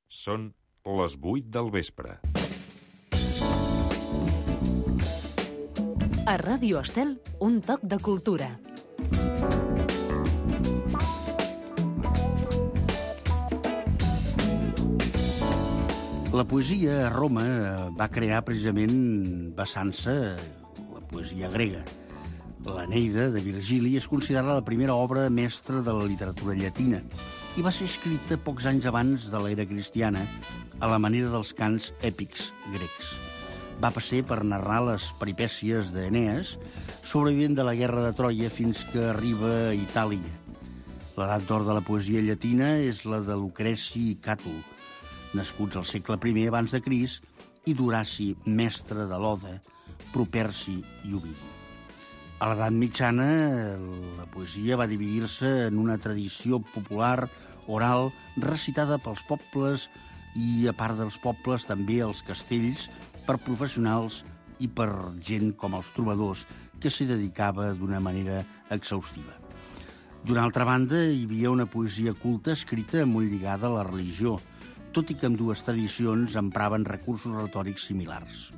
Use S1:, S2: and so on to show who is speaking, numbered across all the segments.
S1: Són les 8 del vespre.
S2: A Ràdio Estel, un toc de cultura.
S3: La poesia a Roma va crear precisament basant-se la poesia grega. L'Eneida de Virgili és considerada la primera obra mestra de la literatura llatina i va ser escrita pocs anys abans de l'era cristiana a la manera dels cants èpics grecs. Va passar per narrar les peripècies d'Enees, sobrevivent de la guerra de Troia fins que arriba a Itàlia. L'edat d'or de la poesia llatina és la de Lucreci i Càtul, nascuts al segle I abans de Crist, i d'Horaci, mestre de l'Oda, Properci i Ovidi. A l'edat mitjana, la poesia va dividir-se en una tradició popular, oral, recitada pels pobles i, a part dels pobles, també els castells, per professionals i per gent com els trobadors, que s'hi dedicava d'una manera exhaustiva. D'una altra banda, hi havia una poesia culta escrita molt lligada a la religió, tot i que ambdues tradicions empraven recursos retòrics similars.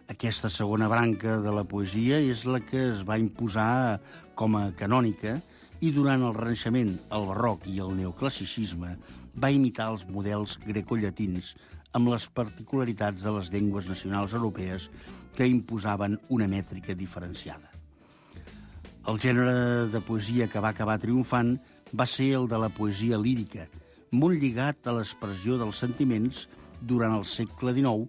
S3: Aquesta segona branca de la poesia és la que es va imposar com a canònica i durant el Renaixement, el Barroc i el Neoclassicisme va imitar els models grecollatins amb les particularitats de les llengües nacionals europees que imposaven una mètrica diferenciada. El gènere de poesia que va acabar triomfant va ser el de la poesia lírica, molt lligat a l'expressió dels sentiments durant el segle XIX,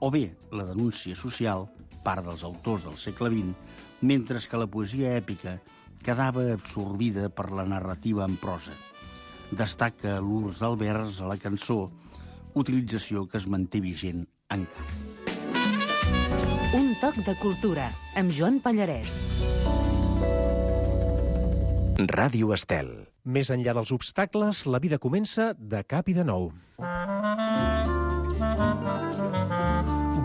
S3: o bé la denúncia social, part dels autors del segle XX, mentre que la poesia èpica quedava absorbida per la narrativa en prosa. Destaca l'ús del vers a la cançó, utilització que es manté vigent encara.
S2: Un toc de cultura, amb Joan Pallarès.
S4: Ràdio Estel.
S5: Més enllà dels obstacles, la vida comença de cap i de nou.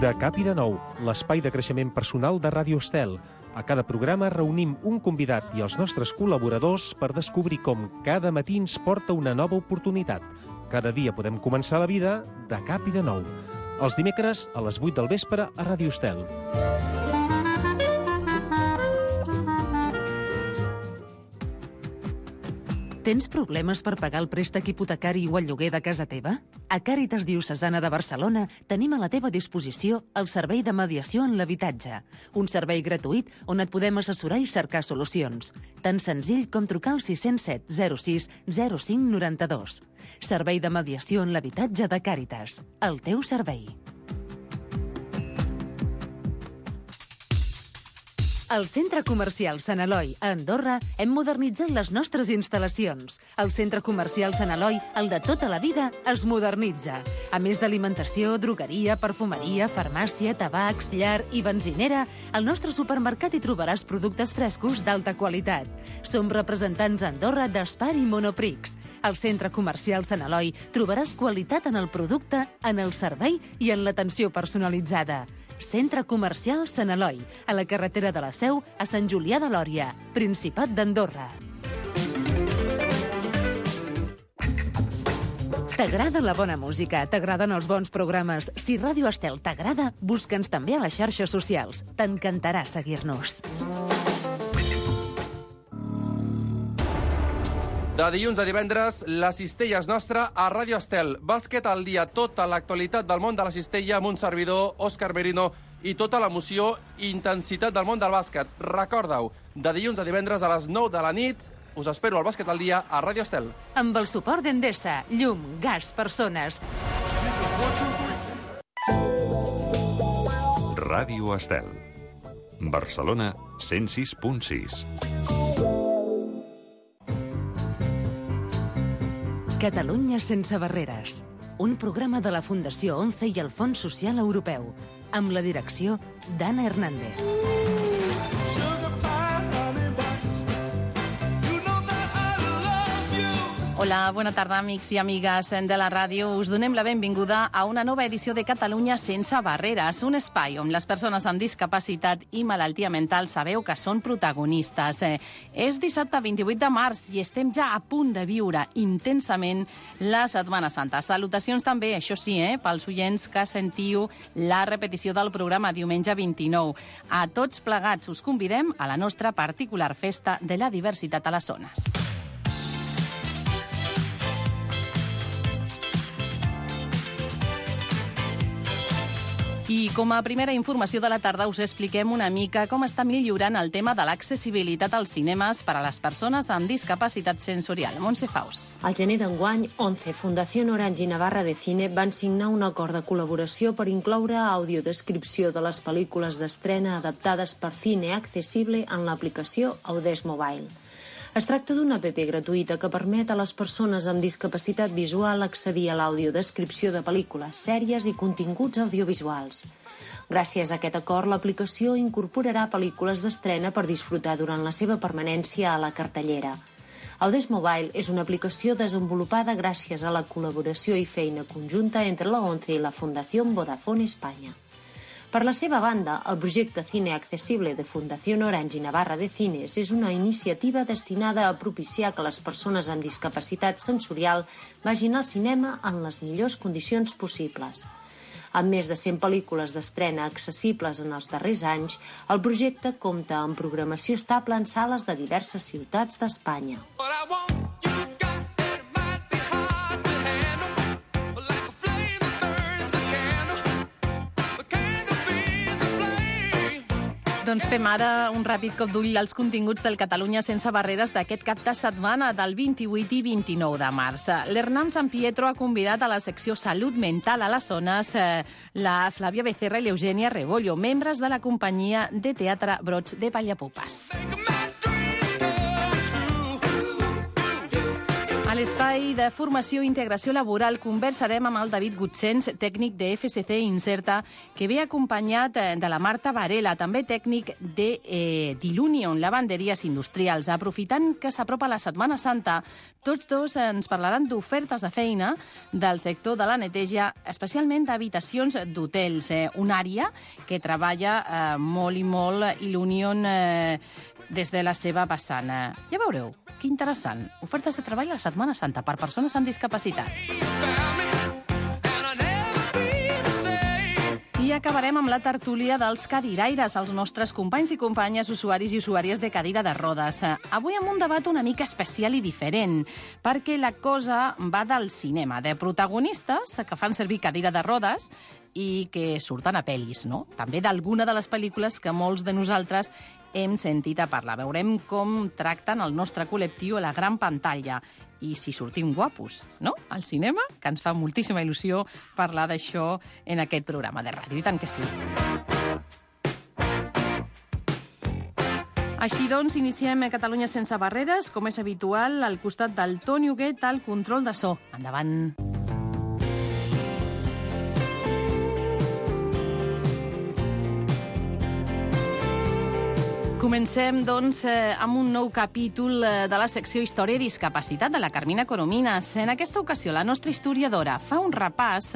S5: De cap i de nou, l'espai de creixement personal de Ràdio Estel. A cada programa reunim un convidat i els nostres col·laboradors per descobrir com cada matí ens porta una nova oportunitat. Cada dia podem començar la vida de cap i de nou. Els dimecres a les 8 del vespre a Ràdio Estel.
S2: Tens problemes per pagar el préstec hipotecari o el lloguer de casa teva? A Càritas Diocesana de Barcelona tenim a la teva disposició el servei de mediació en l'habitatge, un servei gratuït on et podem assessorar i cercar solucions. Tan senzill com trucar al 607 06 05 92. Servei de mediació en l'habitatge de Càritas. El teu servei. Al Centre Comercial Sant Eloi, a Andorra, hem modernitzat les nostres instal·lacions. El Centre Comercial Sant Eloi, el de tota la vida, es modernitza. A més d'alimentació, drogueria, perfumeria, farmàcia, tabacs, llar i benzinera, al nostre supermercat hi trobaràs productes frescos d'alta qualitat. Som representants a Andorra d'Espar i Monoprix. Al Centre Comercial Sant Eloi trobaràs qualitat en el producte, en el servei i en l'atenció personalitzada. Centre Comercial Sant Eloi, a la carretera de la Seu, a Sant Julià de Lòria, Principat d'Andorra. T'agrada la bona música? T'agraden els bons programes? Si Ràdio Estel t'agrada, busca'ns també a les xarxes socials. T'encantarà seguir-nos.
S6: De dilluns a divendres, la cistella és nostra a Ràdio Estel. Bàsquet al dia, tota l'actualitat del món de la cistella amb un servidor, Òscar Merino, i tota l'emoció i intensitat del món del bàsquet. Recorda-ho, de dilluns a divendres a les 9 de la nit, us espero al Bàsquet al dia a Ràdio Estel.
S2: Amb el suport d'Endesa, llum, gas, persones.
S1: Ràdio Estel. Barcelona 106.6.
S2: Catalunya sense barreres. Un programa de la Fundació ONCE i el Fons Social Europeu, amb la direcció d'Anna Hernández.
S7: Hola, bona tarda, amics i amigues de la ràdio. Us donem la benvinguda a una nova edició de Catalunya sense barreres, un espai on les persones amb discapacitat i malaltia mental sabeu que són protagonistes. És dissabte 28 de març i estem ja a punt de viure intensament la Setmana Santa. Salutacions també, això sí, pels oients que sentiu la repetició del programa diumenge 29. A tots plegats us convidem a la nostra particular festa de la diversitat a les zones. I com a primera informació de la tarda us expliquem una mica com està millorant el tema de l'accessibilitat als cinemes per a les persones amb discapacitat sensorial. Montse Faus.
S8: Al gener d'enguany, 11, Fundació Orange i Navarra de Cine van signar un acord de col·laboració per incloure audiodescripció de les pel·lícules d'estrena adaptades per Cine Accessible en l'aplicació Audes Mobile. Es tracta d'una app gratuïta que permet a les persones amb discapacitat visual accedir a l'audiodescripció de pel·lícules, sèries i continguts audiovisuals. Gràcies a aquest acord, l'aplicació incorporarà pel·lícules d'estrena per disfrutar durant la seva permanència a la cartellera. Audes Mobile és una aplicació desenvolupada gràcies a la col·laboració i feina conjunta entre la ONCE i la Fundació Vodafone Espanya. Per la seva banda, el projecte Cine Accessible de Fundació Orange i Navarra de Cines és una iniciativa destinada a propiciar que les persones amb discapacitat sensorial vagin al cinema en les millors condicions possibles. Amb més de 100 pel·lícules d'estrena accessibles en els darrers anys, el projecte compta amb programació estable en sales de diverses ciutats d'Espanya.
S7: Doncs fem ara un ràpid cop d'ull als continguts del Catalunya sense barreres d'aquest cap de setmana del 28 i 29 de març. L'Hernán San Pietro ha convidat a la secció Salut Mental a les zones la Flàvia Becerra i l'Eugènia Rebollo, membres de la companyia de teatre Brots de Vallapupes. A l'espai de formació i integració laboral conversarem amb el David Gutsens, tècnic de FSC Inserta, que ve acompanyat de la Marta Varela, també tècnic de Dilunion, lavanderies industrials. Aprofitant que s'apropa la Setmana Santa, tots dos ens parlaran d'ofertes de feina del sector de la neteja, especialment d'habitacions d'hotels, una àrea que treballa molt i molt Dilunion des de la seva vessant. Ja veureu, que interessant. Ofertes de treball a la Setmana Santa per persones amb discapacitat. I acabarem amb la tertúlia dels cadiraires, els nostres companys i companyes, usuaris i usuàries de cadira de rodes. Avui amb un debat una mica especial i diferent, perquè la cosa va del cinema, de protagonistes que fan servir cadira de rodes i que surten a pel·lis, no? També d'alguna de les pel·lícules que molts de nosaltres hem sentit a parlar. Veurem com tracten el nostre col·lectiu a la gran pantalla i si sortim guapos, no?, al cinema, que ens fa moltíssima il·lusió parlar d'això en aquest programa de ràdio, i tant que sí. Així doncs, iniciem Catalunya sense barreres, com és habitual, al costat del Toni Huguet, al control de so. Endavant. Comencem, doncs, amb un nou capítol de la secció Història i Discapacitat de la Carmina Coromines. En aquesta ocasió, la nostra historiadora fa un repàs,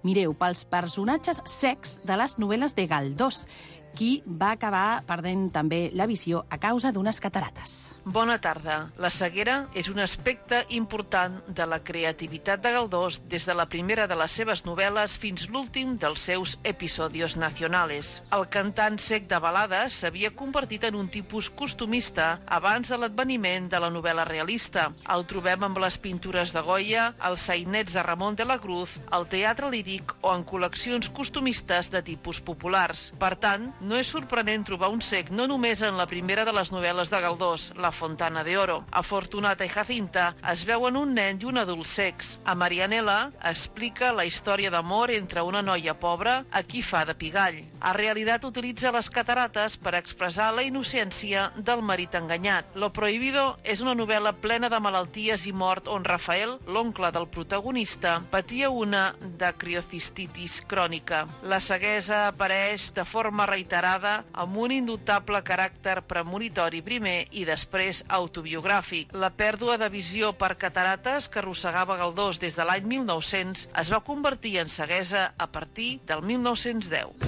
S7: mireu, pels personatges cecs de les novel·les de Galdós, qui va acabar perdent també la visió a causa d'unes catarates.
S9: Bona tarda. La ceguera és un aspecte important de la creativitat de Galdós des de la primera de les seves novel·les fins l'últim dels seus episodios nacionales. El cantant cec de balades s'havia convertit en un tipus costumista abans de l'adveniment de la novel·la realista. El trobem amb les pintures de Goya, els sainets de Ramon de la Cruz, el teatre líric o en col·leccions costumistes de tipus populars. Per tant, no és sorprenent trobar un cec no només en la primera de les novel·les de Galdós, La Fontana de Oro. A Fortunata i Jacinta es veuen un nen i un adult cecs. A Marianela explica la història d'amor entre una noia pobra a qui fa de pigall. A Realitat utilitza les catarates per expressar la innocència del marit enganyat. Lo Prohibido és una novel·la plena de malalties i mort on Rafael, l'oncle del protagonista, patia una dacriocistitis crònica. La ceguesa apareix de forma reiterada reiterada amb un indubtable caràcter premonitori primer i després autobiogràfic. La pèrdua de visió per catarates que arrossegava Galdós des de l'any 1900 es va convertir en ceguesa a partir del 1910.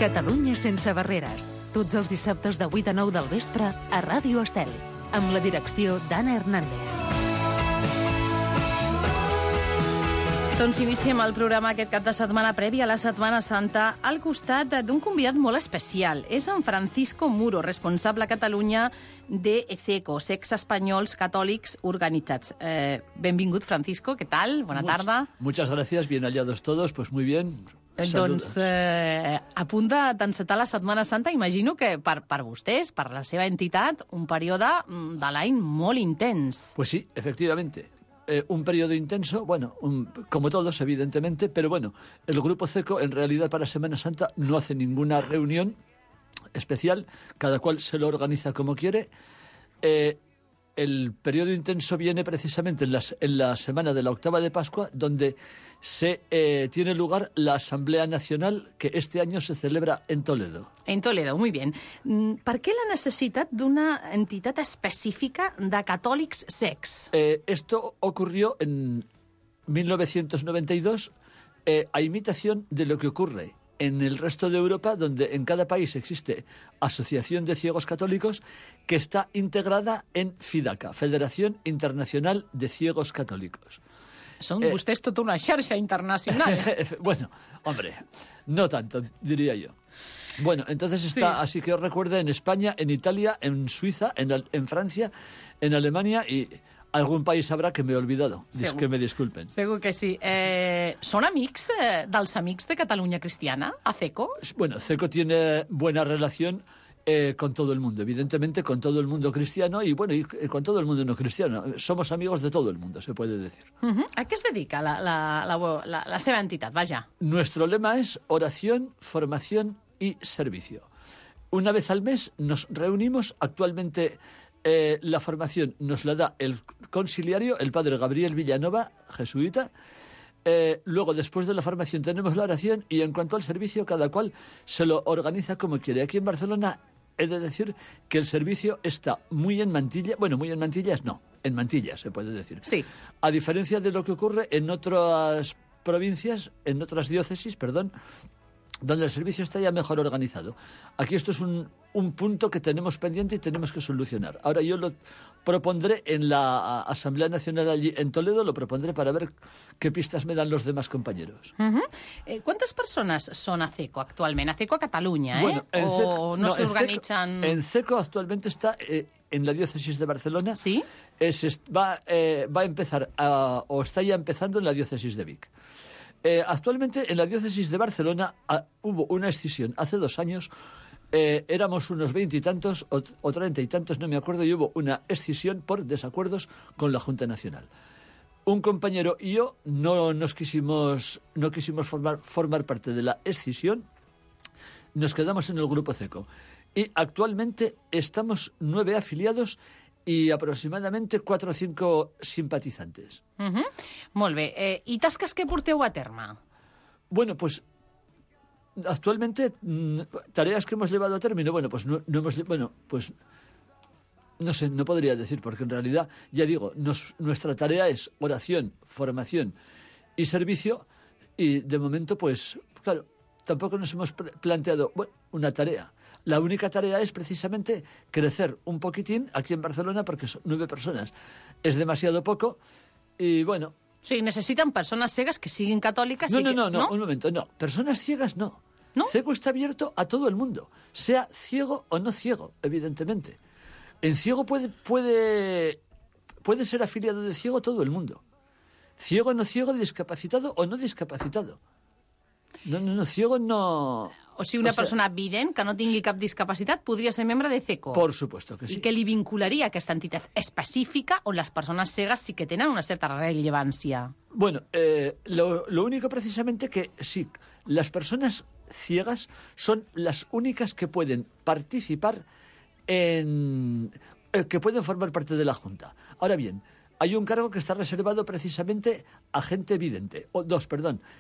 S2: Catalunya sense barreres. Tots els dissabtes de 8 a 9 del vespre a Ràdio Estel, amb la direcció d'Anna Hernández.
S7: Doncs iniciem el programa aquest cap de setmana previ a la Setmana Santa al costat d'un convidat molt especial. És en Francisco Muro, responsable a Catalunya de ECECO, Cecs Espanyols Catòlics Organitzats. Benvingut, Francisco, què tal? Bona tarda.
S10: Muchas gracias, bien hallados todos, pues muy bien.
S7: Doncs a punt d'encetar la Setmana Santa, imagino que per vostès, per la seva entitat, un període de l'any molt intens.
S10: Pues sí, efectivamente. Un periodo intenso, bueno, como todos, evidentemente, pero bueno, el Grupo CECO en realidad para Semana Santa no hace ninguna reunión especial, cada cual se lo organiza como quiere. El periodo intenso viene precisamente en la semana de la octava de Pascua, donde se tiene lugar la Asamblea Nacional, que este año se celebra en Toledo.
S7: En Toledo, muy bien. Per què la necessitat d'una entitat específica de catòlics cecs?
S10: Esto ocurrió en 1992 a imitación de lo que ocurre en el resto de Europa, donde en cada país existe Asociación de Ciegos Católicos, que está integrada en FIDACA, Federación Internacional de Ciegos Católicos.
S7: Són vostès tota una xarxa internacional.
S10: Bueno, hombre, no tanto, diría yo. Bueno, entonces está, así que os recuerdo, en España, en Italia, en Suiza, en Francia, en Alemania y algún país habrá que me he olvidado. Segur. Que me disculpen.
S7: Segur que sí. ¿Són amics dels amics de Catalunya Cristiana, a CECO?
S10: Bueno, CECO tiene buena relación con todo el mundo, evidentemente con todo el mundo cristiano y bueno, y con todo el mundo no cristiano. Somos amigos de todo el mundo, se puede decir.
S7: ¿A qué se dedica la seva entitat? Vaja.
S10: Nuestro lema es oración, formación y servicio. Una vez al mes nos reunimos. Actualmente la formación nos la da el conciliario, el padre Gabriel Villanova, jesuita. Luego, después de la formación, tenemos la oración y en cuanto al servicio, cada cual se lo organiza como quiere. Aquí en Barcelona he de decir que el servicio está muy en mantilla. Bueno, muy en mantillas no, en mantillas se puede decir.
S7: Sí.
S10: A diferencia de lo que ocurre en otras provincias, en otras diócesis, perdón, donde el servicio está ya mejor organizado. Aquí esto es un punto que tenemos pendiente y tenemos que solucionar. Ahora yo lo propondré en la Asamblea Nacional allí en Toledo, lo propondré para ver qué pistas me dan los demás compañeros.
S7: ¿Cuántas personas son a CECO actualmente? A CECO a Cataluña,
S10: Bueno,
S7: ¿O no se organizan?
S10: En CECO actualmente está en la diócesis de Barcelona.
S7: ¿Sí?
S10: Va a empezar, o está ya empezando en la diócesis de Vic. Actualmente en la diócesis de Barcelona hubo una escisión hace 2 años. Éramos unos 20 y tantos o 30 y tantos, no me acuerdo, y hubo una escisión por desacuerdos con la Junta Nacional. Un compañero y yo no quisimos formar parte de la escisión. Nos quedamos en el Grupo CECO. Y actualmente estamos 9 afiliados y aproximadamente 4 o 5 simpatizantes.
S7: Molt bé. I tasques que porteu a terme?
S10: Bueno, pues actualmente tareas que hemos llevado a término, bueno, pues no hemos, bueno, pues no sé, no podría decir, porque en realidad, ya digo, nuestra tarea es oración, formación y servicio, y de momento, pues, claro, tampoco nos hemos planteado una tarea. La única tarea es precisamente crecer un poquitín aquí en Barcelona, porque son 9 personas. Es demasiado poco y bueno.
S7: Sí, necesitan personas ciegas que siguen católicas.
S10: No, un momento, no. Personas ciegas no.
S7: ¿No?
S10: CECO está abierto a todo el mundo, sea ciego o no ciego, evidentemente. En ciego puede ser afiliado de ciego todo el mundo. Ciego, no ciego, discapacitado o no discapacitado. No, ciego no...
S7: O sigui, una persona vident que no tingui cap discapacitat podria ser membre de CECO.
S10: Por supuesto que sí.
S7: I què li vincularia a aquesta entitat específica on les persones cegues sí que tenen una certa rellevància?
S10: Bueno, lo único precisamente que sí, las personas ciegas son las únicas que pueden participar que pueden formar parte de la Junta. Ahora bien, hay un cargo que está reservado precisamente a gente vidente.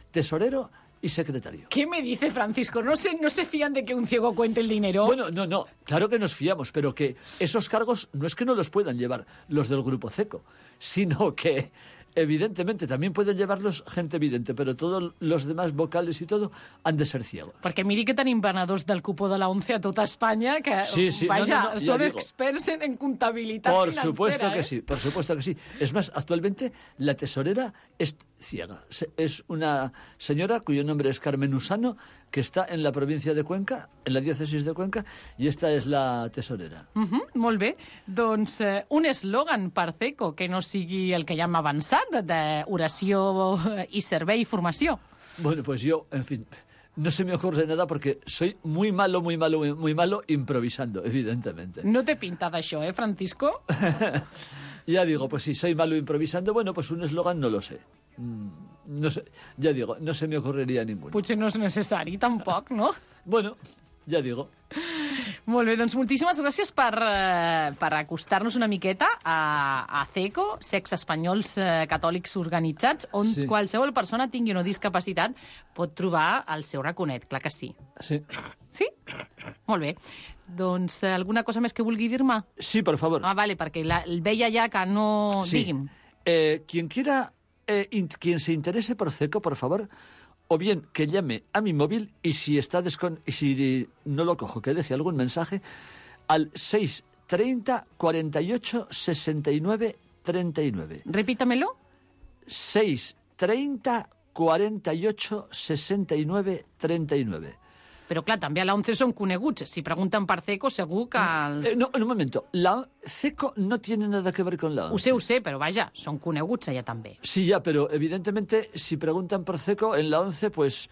S10: Tesorero y secretario.
S7: ¿Qué me dice Francisco? ¿No se fían de que un ciego cuente el dinero?
S10: Bueno, no, claro que nos fiamos, pero que esos cargos no es que no los puedan llevar los del Grupo CECO, sino que evidentemente también pueden llevarlos gente vidente, pero todos los demás vocales y todo han de ser ciegos.
S7: Perquè miri que tenim venedors del cupó de la ONCE a tota Espanya que,
S10: sí,
S7: vaja,
S10: no,
S7: són
S10: digo,
S7: experts en comptabilitat
S10: por
S7: financera.
S10: Por supuesto que sí. Es más, actualmente la tesorera es ciega. Es una señora cuyo nombre es Carmen Usano, que está en la provincia de Cuenca, en la diócesis de Cuenca, y esta es la tesorera.
S7: Molt bé. Doncs un eslògan per CECO que no sigui el que ja hem avançat, d'oració i servei i formació.
S10: Bueno, pues yo, en fin, no se me ocurre nada porque soy muy malo improvisando, evidentemente.
S7: No te pinta d'això, Francisco?
S10: Ya digo, pues si soy malo improvisando, bueno, pues un eslogan no lo sé. No sé, ya digo, no se me ocurriría ninguno.
S7: Potser no és necessari, tampoc, no?
S10: Bueno, ja digo.
S7: Molt bé, doncs moltíssimes gràcies per acostar-nos una miqueta a CECO, Cecs Espanyols Catòlics Organitzats, on qualsevol persona tingui una discapacitat pot trobar el seu raconet, clar que sí.
S10: Sí.
S7: Sí? Molt bé. Doncs alguna cosa més que vulgui dir-me?
S10: Sí, per favor.
S7: Vale, perquè el veia ja que no...
S10: Sí.
S7: Digui'm.
S10: Quien se interese por CECO, por favor, o bien que llame a mi móvil y si no lo cojo, que deje algún mensaje al 630 48 69 39.
S7: Repítamelo.
S10: 630 48 69 39.
S7: Però, clar, també a la ONCE són coneguts. Si pregunten per CECO, segur que els...
S10: No, un momento. La CECO no tiene nada que ver con la ONCE.
S7: Ho sé, però vaja, són coneguts allà també.
S10: Sí, ya, pero evidentemente si preguntan por CECO en la ONCE, pues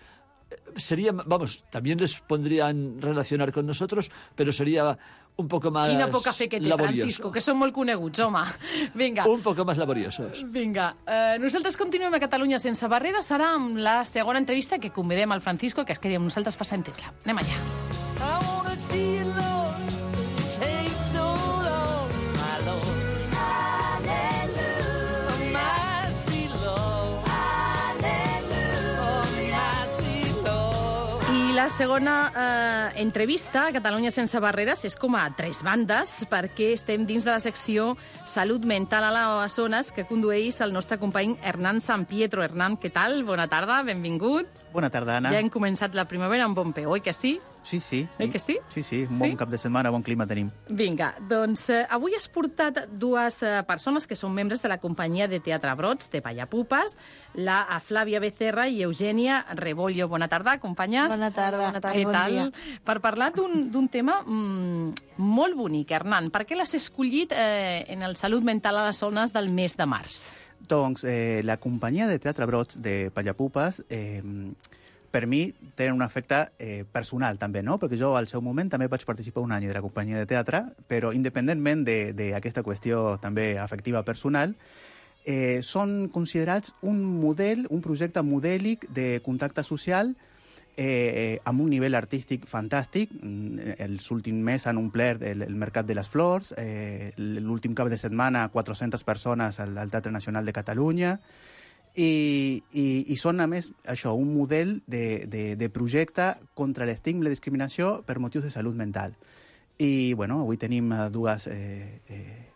S10: sería, vamos, también les pondrían relacionar con nosotros, pero sería un poco más
S7: Quina poca fe que té,
S10: laborioso.
S7: Francisco, que són molt coneguts, home. Vinga.
S10: Un poco más laboriosos.
S7: Vinga. Nosaltres continuem a Catalunya sense barreres. Serà amb la segona entrevista que convidem al Francisco, que es quedi amb nosaltres per sentir-la. Anem allà. La segona entrevista a Catalunya sense barreres és com a tres bandes, perquè estem dins de la secció Salut Mental a les Zones que condueix el nostre company Hernán San Pietro. Hernán, què tal? Bona tarda, benvingut.
S11: Bona tarda, Anna.
S7: Ja hem començat la primavera amb bon peu, oi que sí?
S11: Sí.
S7: Oi que sí?
S11: Sí, un bon cap de setmana, bon clima tenim.
S7: Vinga, doncs avui has portat dues persones que són membres de la companyia de teatre Brots, de Pallapupes, la Flàvia Becerra i Eugènia Rebollo. Bona tarda, companyes.
S12: Bona tarda.
S7: Què tal? Per parlar d'un tema molt bonic, Hernán. Per què l'has escollit en el Salut Mental a les Zones del mes de març?
S11: Doncs la companyia de teatre Brots de Pallapupes per mi tenen un efecte personal també, no? Perquè jo al seu moment també vaig participar un any de la companyia de teatre, però independentment d'aquesta qüestió també afectiva personal, són considerats un model, un projecte modèlic de contacte social amb un nivell artístic fantàstic. Els últims mesos han omplert el Mercat de les Flors, l'últim cap de setmana 400 persones al Teatre Nacional de Catalunya, i són, a més, això, un model de projecte contra l'estigma i la discriminació per motius de salut mental. I, bueno, avui tenim dues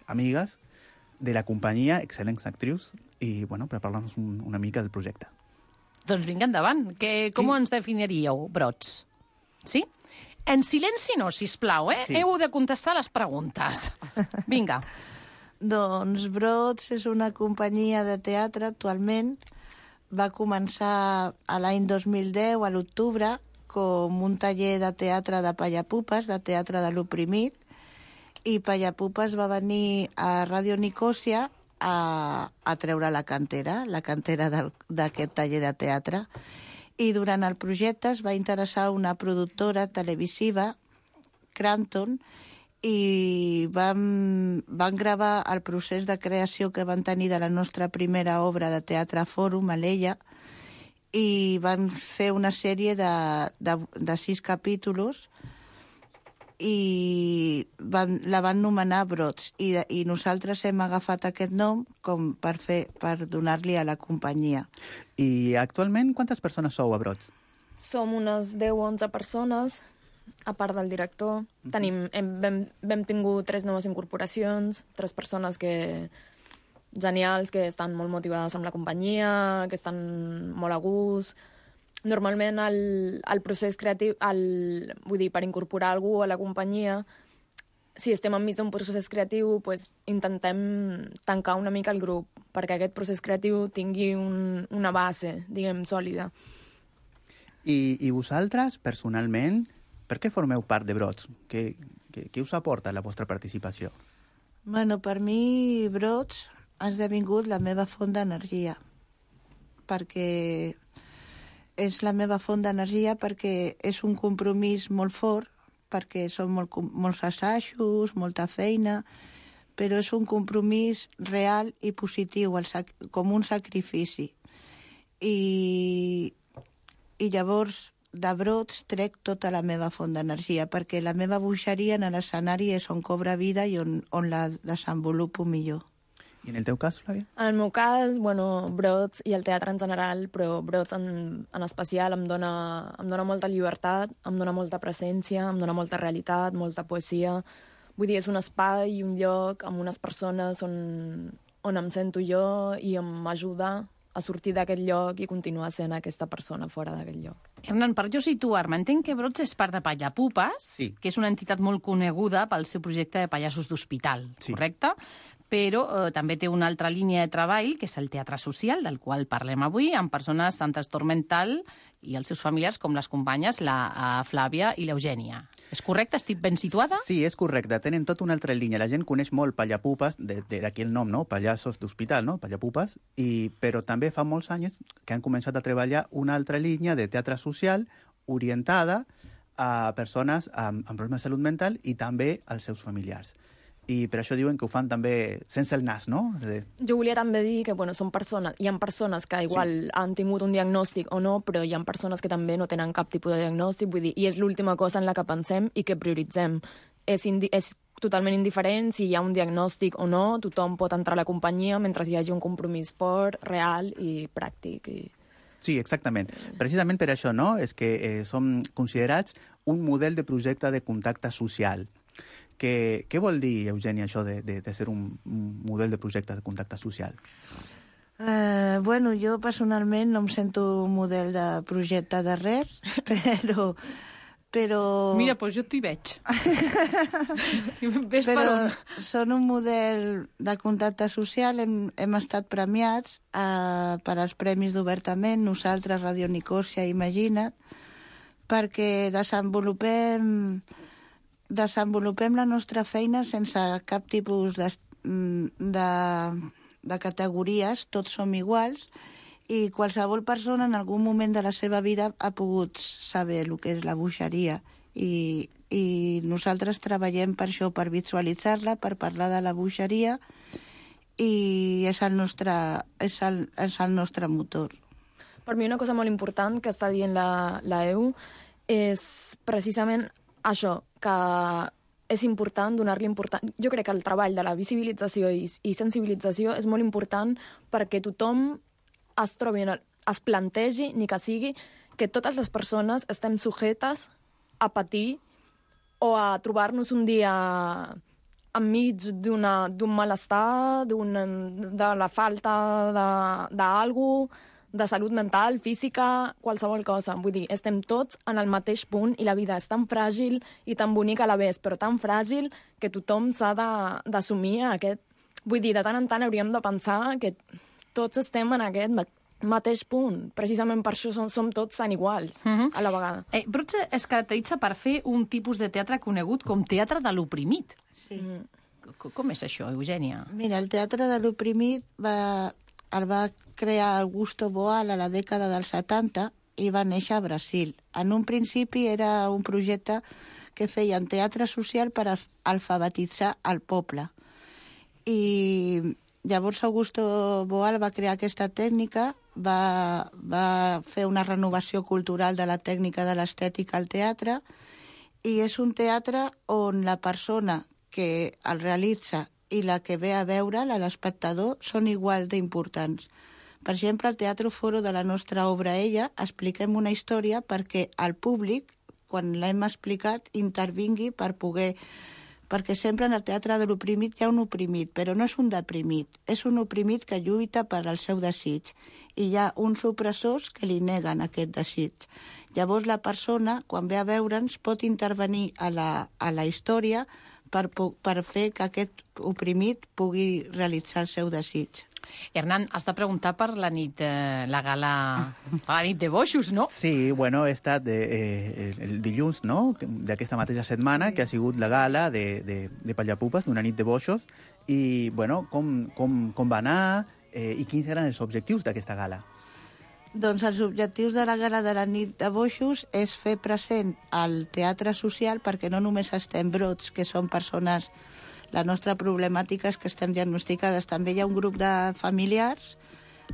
S11: amigues de la companyia, excel·lents actrius, i, bueno, per parlar-nos una mica del projecte.
S7: Doncs vinga, endavant. Com ens definiríeu, Brots? Sí? En silenci no, sisplau, eh? Sí. Heu de contestar les preguntes. Vinga.
S12: Doncs Brots és una companyia de teatre actualment. Va començar a l'any 2010, a l'octubre, com un taller de teatre de Pallapupes, de teatre de l'oprimit, i Pallapupes va venir a Ràdio Nicòsia a treure la cantera d'aquest taller de teatre. I durant el projecte es va interessar una productora televisiva, Crampton, i van gravar el procés de creació que van tenir de la nostra primera obra de teatre Fòrum, a l'Ella, i van fer una sèrie de 6 capítols i la van nomenar Brots, i nosaltres hem agafat aquest nom per donar-li a la companyia.
S11: I actualment quantes persones sou a Brots?
S13: Som unes 10 o 11 persones, a part del director. Vam tingut 3 noves incorporacions, 3 persones genials, que estan molt motivades amb la companyia, que estan molt a gust. Normalment el procés creatiu, vull dir, per incorporar algú a la companyia, si estem enmig d'un procés creatiu, intentem tancar una mica el grup, perquè aquest procés creatiu tingui una base, diguem, sòlida.
S11: I vosaltres, personalment, per què formeu part de Brots? Què us aporta la vostra participació?
S12: Bueno, per mi, Brots ha esdevingut la meva font d'energia, perquè és la meva font d'energia perquè és un compromís molt fort, perquè són molts assajos, molta feina, però és un compromís real i positiu, com un sacrifici. I llavors, de Brots trec tota la meva font d'energia, perquè la meva bogeria en l'escenari és on cobra vida i on la desenvolupo millor.
S11: I en el teu cas, Flàvia?
S13: En el meu cas, Brots i el teatre en general, però Brots en especial em dona molta llibertat, em dona molta presència, em dona molta realitat, molta poesia. Vull dir, és un espai i un lloc amb unes persones on em sento jo i m'ajuda a sortir d'aquest lloc i continuar sent aquesta persona fora d'aquest lloc.
S7: Hernán, per jo situar-me, entenc que Brots és part de Pallapupes, que és una entitat molt coneguda pel seu projecte de pallassos d'hospital, correcte? Però també té una altra línia de treball, que és el teatre social, del qual parlem avui, amb persones amb trastorn mental i els seus familiars, com les companyes, la Flàvia i l'Eugènia. És correcte? Estic ben situada?
S11: Sí, és correcte. Tenen tota una altra línia. La gent coneix molt Pallapupes, d'aquí el nom, no? Pallassos d'hospital, no? Pallapupes. Però també fa molts anys que han començat a treballar una altra línia de teatre social orientada a persones amb problemes de salut mental i també als seus familiars. I per això diuen que ho fan també sense el nas, no?
S13: Jo volia també dir que hi ha persones que igual han tingut un diagnòstic o no, però hi ha persones que també no tenen cap tipus de diagnòstic, vull dir, i és l'última cosa en la que pensem i que prioritzem. És totalment indiferent si hi ha un diagnòstic o no, tothom pot entrar a la companyia mentre hi hagi un compromís fort, real i pràctic.
S11: Sí, exactament. Precisament per això, no? És que som considerats un model de projecte de contacte social. Què vol dir, Eugènia, això de ser un model de projecte de contacte social?
S12: Jo personalment no em sento un model de projecte de res, però...
S7: Mira, doncs jo t'hi veig.
S12: Però són un model de contacte social, hem estat premiats per als Premis d'Obertament, nosaltres, Radio Nicòsia, Imagina't, perquè desenvolupem la nostra feina sense cap tipus de categories, tots som iguals, i qualsevol persona en algun moment de la seva vida ha pogut saber el que és la bogeria. I nosaltres treballem per això, per visualitzar-la, per parlar de la bogeria, i és el nostre motor.
S13: Per mi una cosa molt important que està dient la EU és precisament això, que és important donar-li important. Jo crec que el treball de la visibilització i sensibilització és molt important perquè tothom es plantegi, ni que sigui, que totes les persones estem sujetes a patir o a trobar-nos un dia enmig d'un malestar, de la falta d'algú, de salut mental, física, qualsevol cosa. Vull dir, estem tots en el mateix punt i la vida és tan fràgil i tan bonica a la vegada, però tan fràgil que tothom s'ha d'assumir aquest... Vull dir, de tant en tant hauríem de pensar que tots estem en aquest mateix punt. Precisament per això som tots tan iguals a la vegada.
S7: Brots es caracteritza per fer un tipus de teatre conegut com teatre de l'oprimit.
S12: Sí.
S7: Com és això, Eugènia?
S12: Mira, el teatre de l'oprimit el va crear Augusto Boal a la dècada dels 70 i va néixer a Brasil. En un principi era un projecte que feien teatre social per alfabetitzar el poble. I llavors Augusto Boal va crear aquesta tècnica, va fer una renovació cultural de la tècnica de l'estètica al teatre, i és un teatre on la persona que el realitza i la que ve a veure'l, l'espectador, són igual d'importants. Per exemple, al Teatro Foro de la nostra obra Ella expliquem una història perquè el públic, quan l'hem explicat, intervingui perquè sempre en el teatre de l'oprimit hi ha un oprimit, però no és un deprimit, és un oprimit que lluita per al seu desig, i hi ha uns opressors que li neguen aquest desig. Llavors la persona, quan ve a veure'ns, pot intervenir a la història per fer que aquest oprimit pugui realitzar el seu desig.
S7: Hernán, has de preguntar per la nit, la gala, la nit de boixos, no?
S11: Sí, bueno, he estat el dilluns, no?, d'aquesta mateixa setmana, que ha sigut la gala de Pallapupes, d'una nit de boixos, i, bueno, com va anar i quins eren els objectius d'aquesta gala?
S12: Doncs els objectius de la gala de la nit de boixos és fer present el teatre social, perquè no només estem brots, que són persones... La nostra problemàtica és que estem diagnosticades. També hi ha un grup de familiars,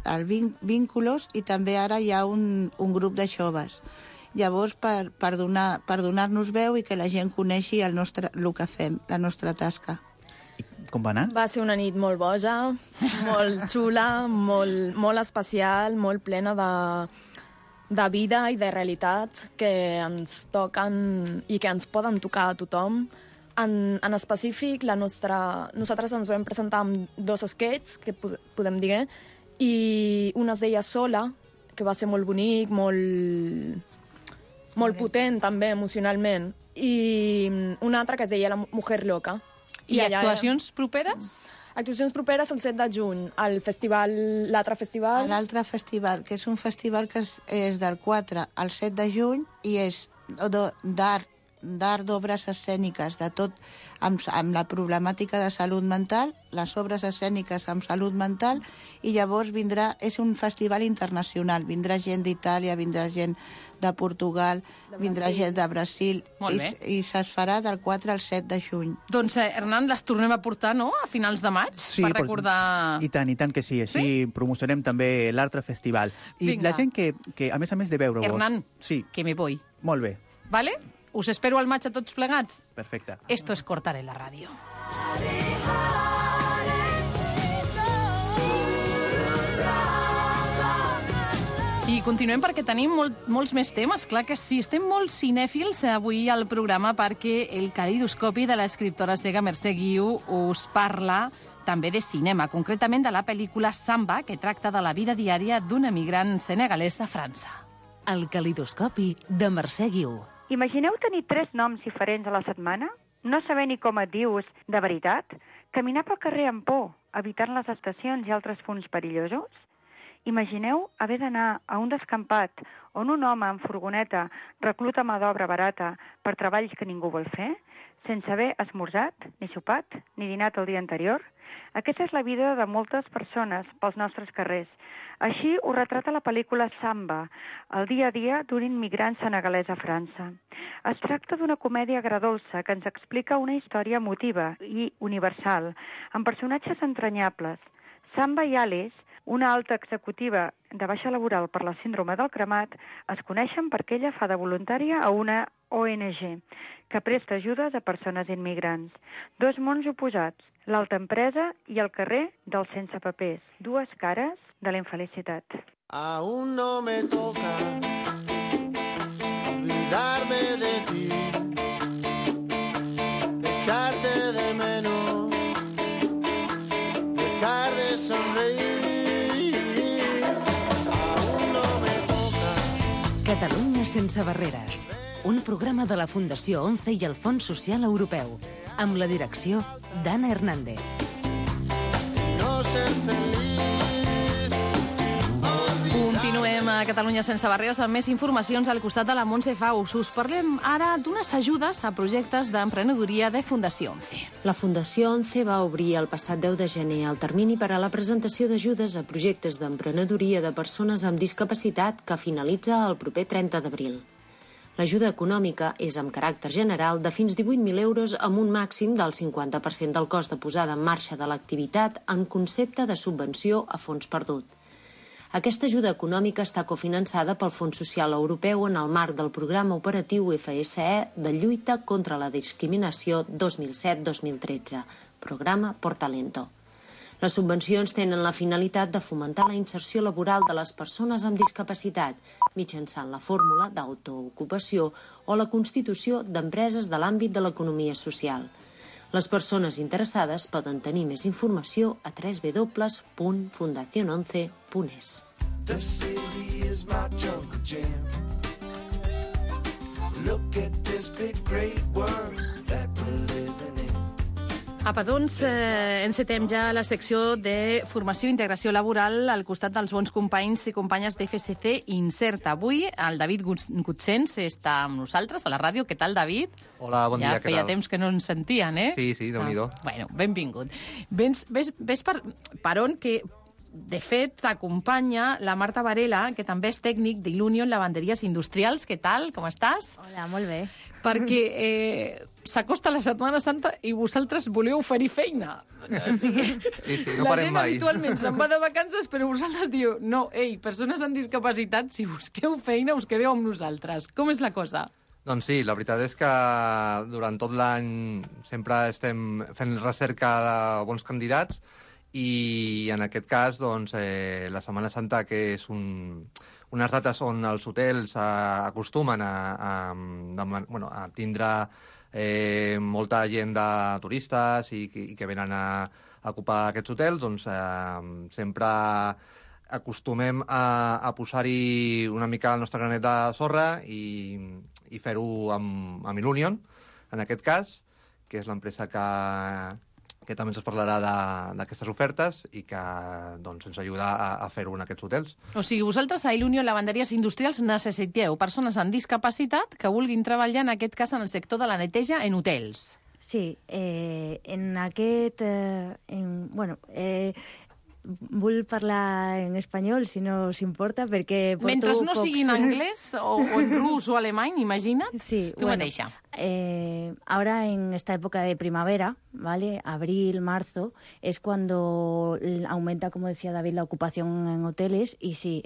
S12: el Vínculos, i també ara hi ha un grup de joves. Llavors, per donar-nos veu i que la gent coneixi el que fem, la nostra tasca.
S11: Com va anar?
S13: Va ser una nit molt boja, molt xula, molt especial, molt plena de vida i de realitats que ens toquen i que ens poden tocar a tothom. En específic, nosaltres ens vam presentar amb 2 sketches, que podem dir, i una es deia Sola, que va ser molt bonic, molt potent també emocionalment, i una altra que es deia La Mujer Loca.
S7: I actuacions properes?
S13: Actuacions properes el 7 de juny, l'altre festival.
S12: L'altre festival, que és un festival que és del 4 al 7 de juny i és d'art, d'obres escèniques, de tot amb la problemàtica de salut mental, les obres escèniques amb salut mental, i llavors és un festival internacional, vindrà gent d'Itàlia, vindrà gent de Portugal, vindrà gent de Brasil, i es farà del 4 al 7 de juny.
S7: Doncs, Hernán, les tornem a portar, no?, a finals de maig,
S11: sí,
S7: per recordar...
S11: I tant que sí, així promocionem també l'altre festival. I la gent que, a més de veure-vos...
S7: Hernán,
S11: sí.
S7: que me voy.
S11: Molt bé.
S7: Vale? Us espero al maig a tots plegats.
S11: Perfecte.
S7: Esto es Cortar en la ràdio. I continuem perquè tenim molts més temes. Clar que sí, estem molt cinèfils avui al programa perquè el calidoscopi de l'escriptora cega Mercè Guiu us parla també de cinema, concretament de la pel·lícula Samba, que tracta de la vida diària d'un emigrant senegalès a França.
S2: El calidoscopi de Mercè Guiu.
S14: Imagineu tenir 3 noms diferents a la setmana? No saber ni com et dius de veritat? Caminar pel carrer amb por, evitant les estacions i altres punts perillosos? Imagineu haver d'anar a un descampat on un home en furgoneta recluta mà d'obra barata per treballs que ningú vol fer, sense haver esmorzat, ni sopat, ni dinat el dia anterior? Aquesta és la vida de moltes persones pels nostres carrers. Així ho retrata la pel·lícula Samba, el dia a dia d'un immigrant senegalès a França. Es tracta d'una comèdia agredolça que ens explica una història emotiva i universal, amb personatges entranyables. Samba i Alice, una alta executiva de baixa laboral per la síndrome del cremat, es coneixen perquè ella fa de voluntària a una ONG, que presta ajudes a persones immigrants. 2 mons oposats, l'alta empresa i el carrer dels sense papers, 2 cares de la infelicitat.
S15: Aún no me toca olvidarme de ti, echarte de menos, dejar de sonreír. Aún no me toca.
S2: Catalunya sense barreres. Un programa de la Fundació 11 i el Fons Social Europeu, amb la direcció d'Anna Hernández.
S7: Continuem a Catalunya sense barreres amb més informacions al costat de la Montse Faus. Us parlem ara d'unes ajudes a projectes d'emprenedoria de Fundació 11.
S8: La Fundació 11 va obrir el passat 10 de gener el termini per a la presentació d'ajudes a projectes d'emprenedoria de persones amb discapacitat que finalitza el proper 30 d'abril. L'ajuda econòmica és amb caràcter general de fins 18.000 euros amb un màxim del 50% del cost de posada en marxa de l'activitat en concepte de subvenció a fons perdut. Aquesta ajuda econòmica està cofinançada pel Fons Social Europeu en el marc del programa operatiu FSE de lluita contra la discriminació 2007-2013, programa Portalento. Les subvencions tenen la finalitat de fomentar la inserció laboral de les persones amb discapacitat mitjançant la fórmula d'autoocupació o la constitució d'empreses de l'àmbit de l'economia social. Les persones interessades poden tenir més informació a www.fundacion11.es.
S15: The city is my jungle jam. Look at this big great world that we're living in.
S7: Apa, doncs, encetem ja la secció de formació i integració laboral al costat dels bons companys i companyes d'FSC Inserta. Avui el David Gutsens està amb nosaltres a la ràdio. Què tal, David?
S16: Hola, bon dia, què tal?
S7: Ja feia temps que no ens sentien, eh?
S16: Sí, Déu-n'hi-do.
S7: Bueno, benvingut. Ves per on que, de fet, t'acompanya la Marta Varela, que també és tècnic d'Ilunion Lavanderies Industrials. Què tal? Com estàs?
S17: Hola, molt bé.
S7: Perquè s'acosta la Setmana Santa i vosaltres voleu oferir feina. O sigui,
S16: no
S7: la
S16: parem
S7: gent
S16: mai.
S7: habitualment se'n va de vacances, però vosaltres diu, no, persones amb discapacitat, si busqueu feina, us quedeu amb nosaltres. Com és la cosa?
S16: Doncs sí, la veritat és que durant tot l'any sempre estem fent recerca de bons candidats i en aquest cas, doncs, la Setmana Santa, que és unes dates on els hotels acostumen a tindre molta gent de turistes i que venen a ocupar aquests hotels, doncs sempre acostumem a posar-hi una mica el nostre granet de sorra i fer-ho amb Ilunion, en aquest cas, que és l'empresa que també ens parlarà d'aquestes ofertes i que doncs, ens ajuda a fer-ho en aquests hotels.
S7: O sigui, vosaltres a Ilunion Lavanderies Industrials necessiteu persones amb discapacitat que vulguin treballar, en aquest cas, en el sector de la neteja en hotels.
S17: Sí, en aquest... vull parlar en espanyol, si no s'importa, perquè porto
S7: Mentre no sigui en anglès o en rus o alemany, imagina't,
S17: sí,
S7: tu mateixa.
S17: Ahora en esta época de primavera, ¿vale? Abril, marzo, es cuando aumenta, como decía David, la ocupación en hoteles y sí,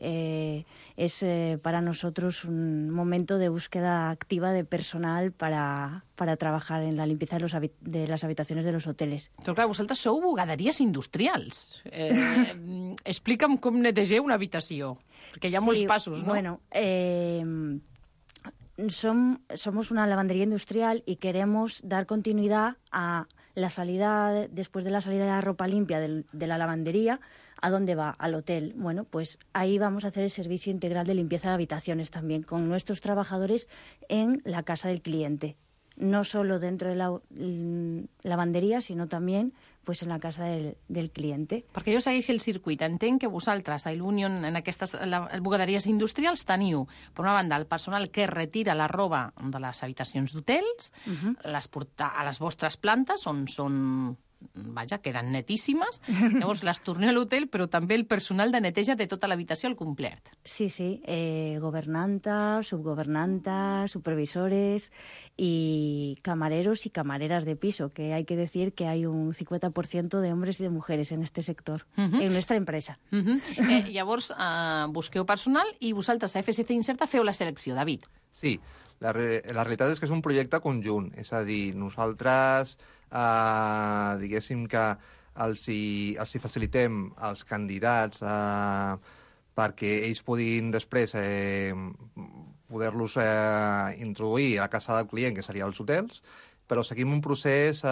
S17: es para nosotros un momento de búsqueda activa de personal para trabajar en la limpieza de las habitaciones de los hoteles.
S7: Però clar, vosaltres sou bugaderies industrials. Explica'm com netegeu una habitació, perquè hi ha molts passos, ¿no?
S17: Bueno, somos una lavandería industrial y queremos dar continuidad a la salida, después de la salida de la ropa limpia de la lavandería, ¿a dónde va? Al hotel. Bueno, pues ahí vamos a hacer el servicio integral de limpieza de habitaciones también, con nuestros trabajadores en la casa del cliente. No solo dentro de la lavanderia, sinó també pues, en la casa del cliente.
S7: Perquè jo segueixo el circuit. Entenc que vosaltres, a Ilunion, en aquestes bugaderies industrials, teniu, per una banda, el personal que retira la roba de les habitacions d'hotels, les porta a les vostres plantes, on són... Vaja, queden netíssimes. Llavors les torneu a l'hotel, però també el personal de neteja de tota l'habitació al complet.
S17: Sí, gobernanta, subgobernanta, supervisores y camareros y camareras de piso, que hay que decir que hay un 50% de hombres y de mujeres en este sector, en nuestra empresa.
S7: Llavors, busqueu personal i vosaltres a FSC Inserta feu la selecció, David.
S16: Sí, la realitat és que és un projecte conjunt, és a dir, nosaltres diguéssim que els hi facilitem als candidats perquè ells puguin després poder-los introduir a la casa del client, que seria els hotels, però seguim un procés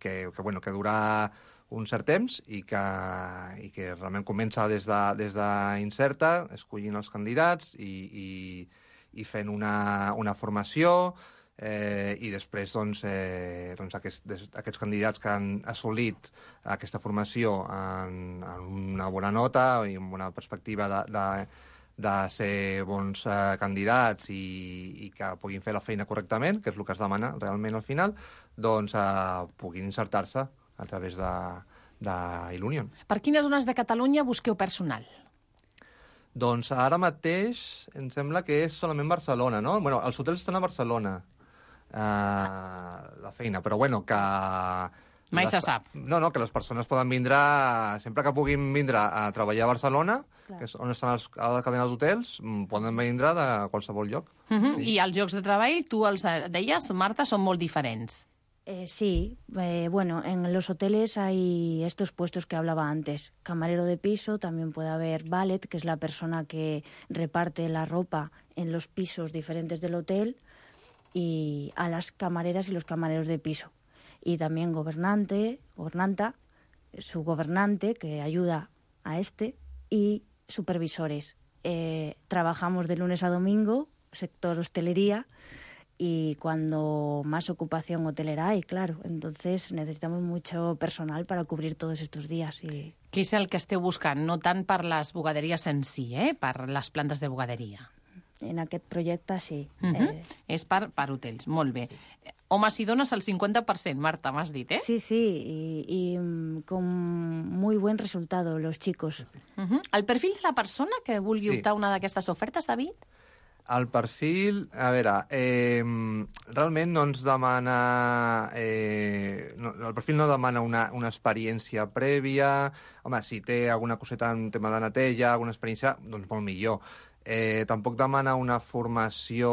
S16: que durà un cert temps i que realment comença des d'Inserta, escollint els candidats i fent una formació, i després aquests candidats que han assolit aquesta formació en una bona nota i amb una perspectiva ser bons candidats i que puguin fer la feina correctament, que és el que es demana realment al final, doncs puguin insertar-se a través d'Ilunion.
S7: Per quines zones de Catalunya busqueu personal?
S16: Doncs ara mateix em sembla que és solament Barcelona, no? Bueno, els hotels estan a Barcelona, la feina, però bueno, que...
S7: Mai se sap.
S16: No, que les persones poden vindre, sempre que puguin vindre a treballar a Barcelona, que és on estan a la cadena d'hotels, poden vindre de qualsevol lloc.
S7: I els llocs de treball, tu els deies, Marta, són molt diferents.
S17: Sí, bueno, en los hoteles hay estos puestos que hablaba antes. Camarero de piso, también puede haber valet, que es la persona que reparte la ropa en los pisos diferentes del hotel, y a las camareras y los camareros de piso. Y también gobernanta, su gobernante, que ayuda a y supervisores. Trabajamos de lunes a domingo, sector hostelería, y cuando más ocupación hotelera hay, claro. Entonces necesitamos mucho personal para cubrir todos estos días. I...
S7: Què és el que esteu buscant? No tant per les bugaderies en si, per les plantes de bugaderia.
S17: En aquest projecte, sí.
S7: És per hotels, molt bé. Homes i dones al 50%, Marta, m'has dit, eh?
S17: Sí, y con muy buen resultado, los chicos.
S7: El perfil de la persona que vulgui optar una d'aquestes ofertes, David?
S16: El perfil, a veure, realment no ens demana... el perfil no demana una experiència prèvia. Home, si té alguna coseta en tema de neteja, alguna experiència, doncs molt millor. Tampoc demana una formació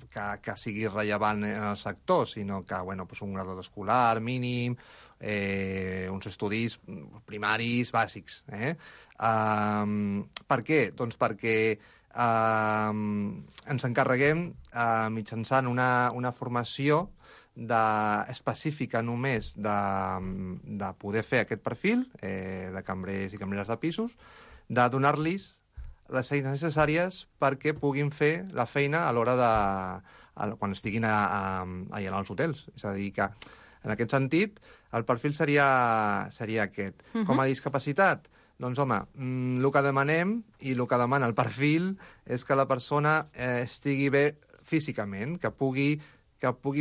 S16: que sigui rellevant en el sector, sinó que un graduat escolar mínim, uns estudis primaris bàsics. Per què? Doncs perquè ens encarreguem mitjançant una formació específica només de poder fer aquest perfil de cambrers i cambreres de pisos, de donar-los les eines necessàries perquè puguin fer la feina a l'hora quan estiguin allà als hotels. És a dir, que en aquest sentit el perfil seria aquest. Com a discapacitat, doncs, home, el que demanem i el que demana el perfil és que la persona estigui bé físicament, que pugui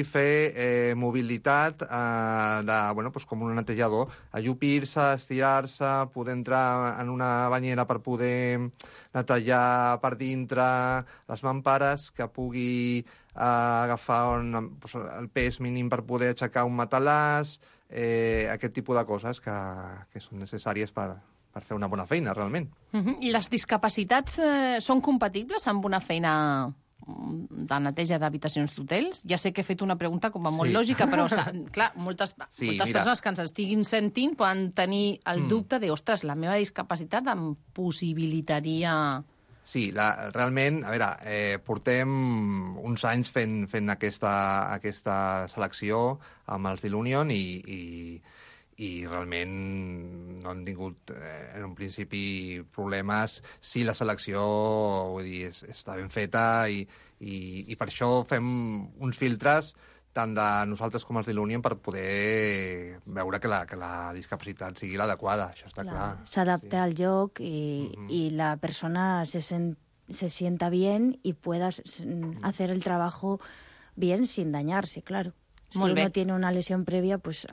S16: fer mobilitat com un netejador, allupir-se, estirar-se, poder entrar en una banyera per poder netejar per dintre les mampares, que pugui agafar el pes mínim per poder aixecar un matalàs, aquest tipus de coses que són necessàries per fer una bona feina, realment.
S7: I les discapacitats són compatibles amb una feina de neteja d'habitacions d'hotels? Ja sé que he fet una pregunta com a molt lògica, però clar, moltes persones que ens estiguin sentint poden tenir el dubte de, ostres, la meva discapacitat em possibilitaria...
S16: Sí, realment, a veure, portem uns anys fent aquesta selecció amb els d'Ilunion i realment no han tingut en un principi problemes si la selecció està ben feta i per això fem uns filtres tant de nosaltres com els d'Ilunion per poder veure que la discapacitat sigui l'adequada, això està clar.
S17: S'adapta al lloc y la persona se sienta bien y pueda hacer el trabajo bien sin dañarse, claro. Si uno tiene una lesión previa, pues...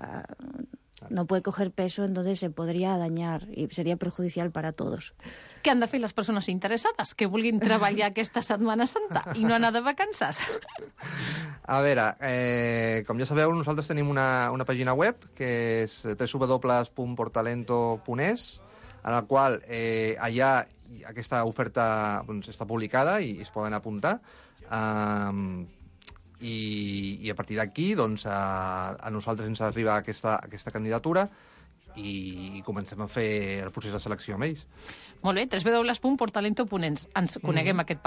S17: no puede coger peso, entonces se podría dañar y sería perjudicial para todos.
S7: Què han de fer les persones interessades que vulguin treballar aquesta Setmana Santa i no anar de vacances?
S16: A veure, com ja sabeu, nosaltres tenim una pàgina web que és www.portalento.es, en la qual allà aquesta oferta està publicada i es poden apuntar. I a partir d'aquí a nosaltres ens arriba aquesta candidatura i comencem a fer el procés de selecció amb ells.
S7: Molt bé, www.portalento.es. Ens coneguem aquest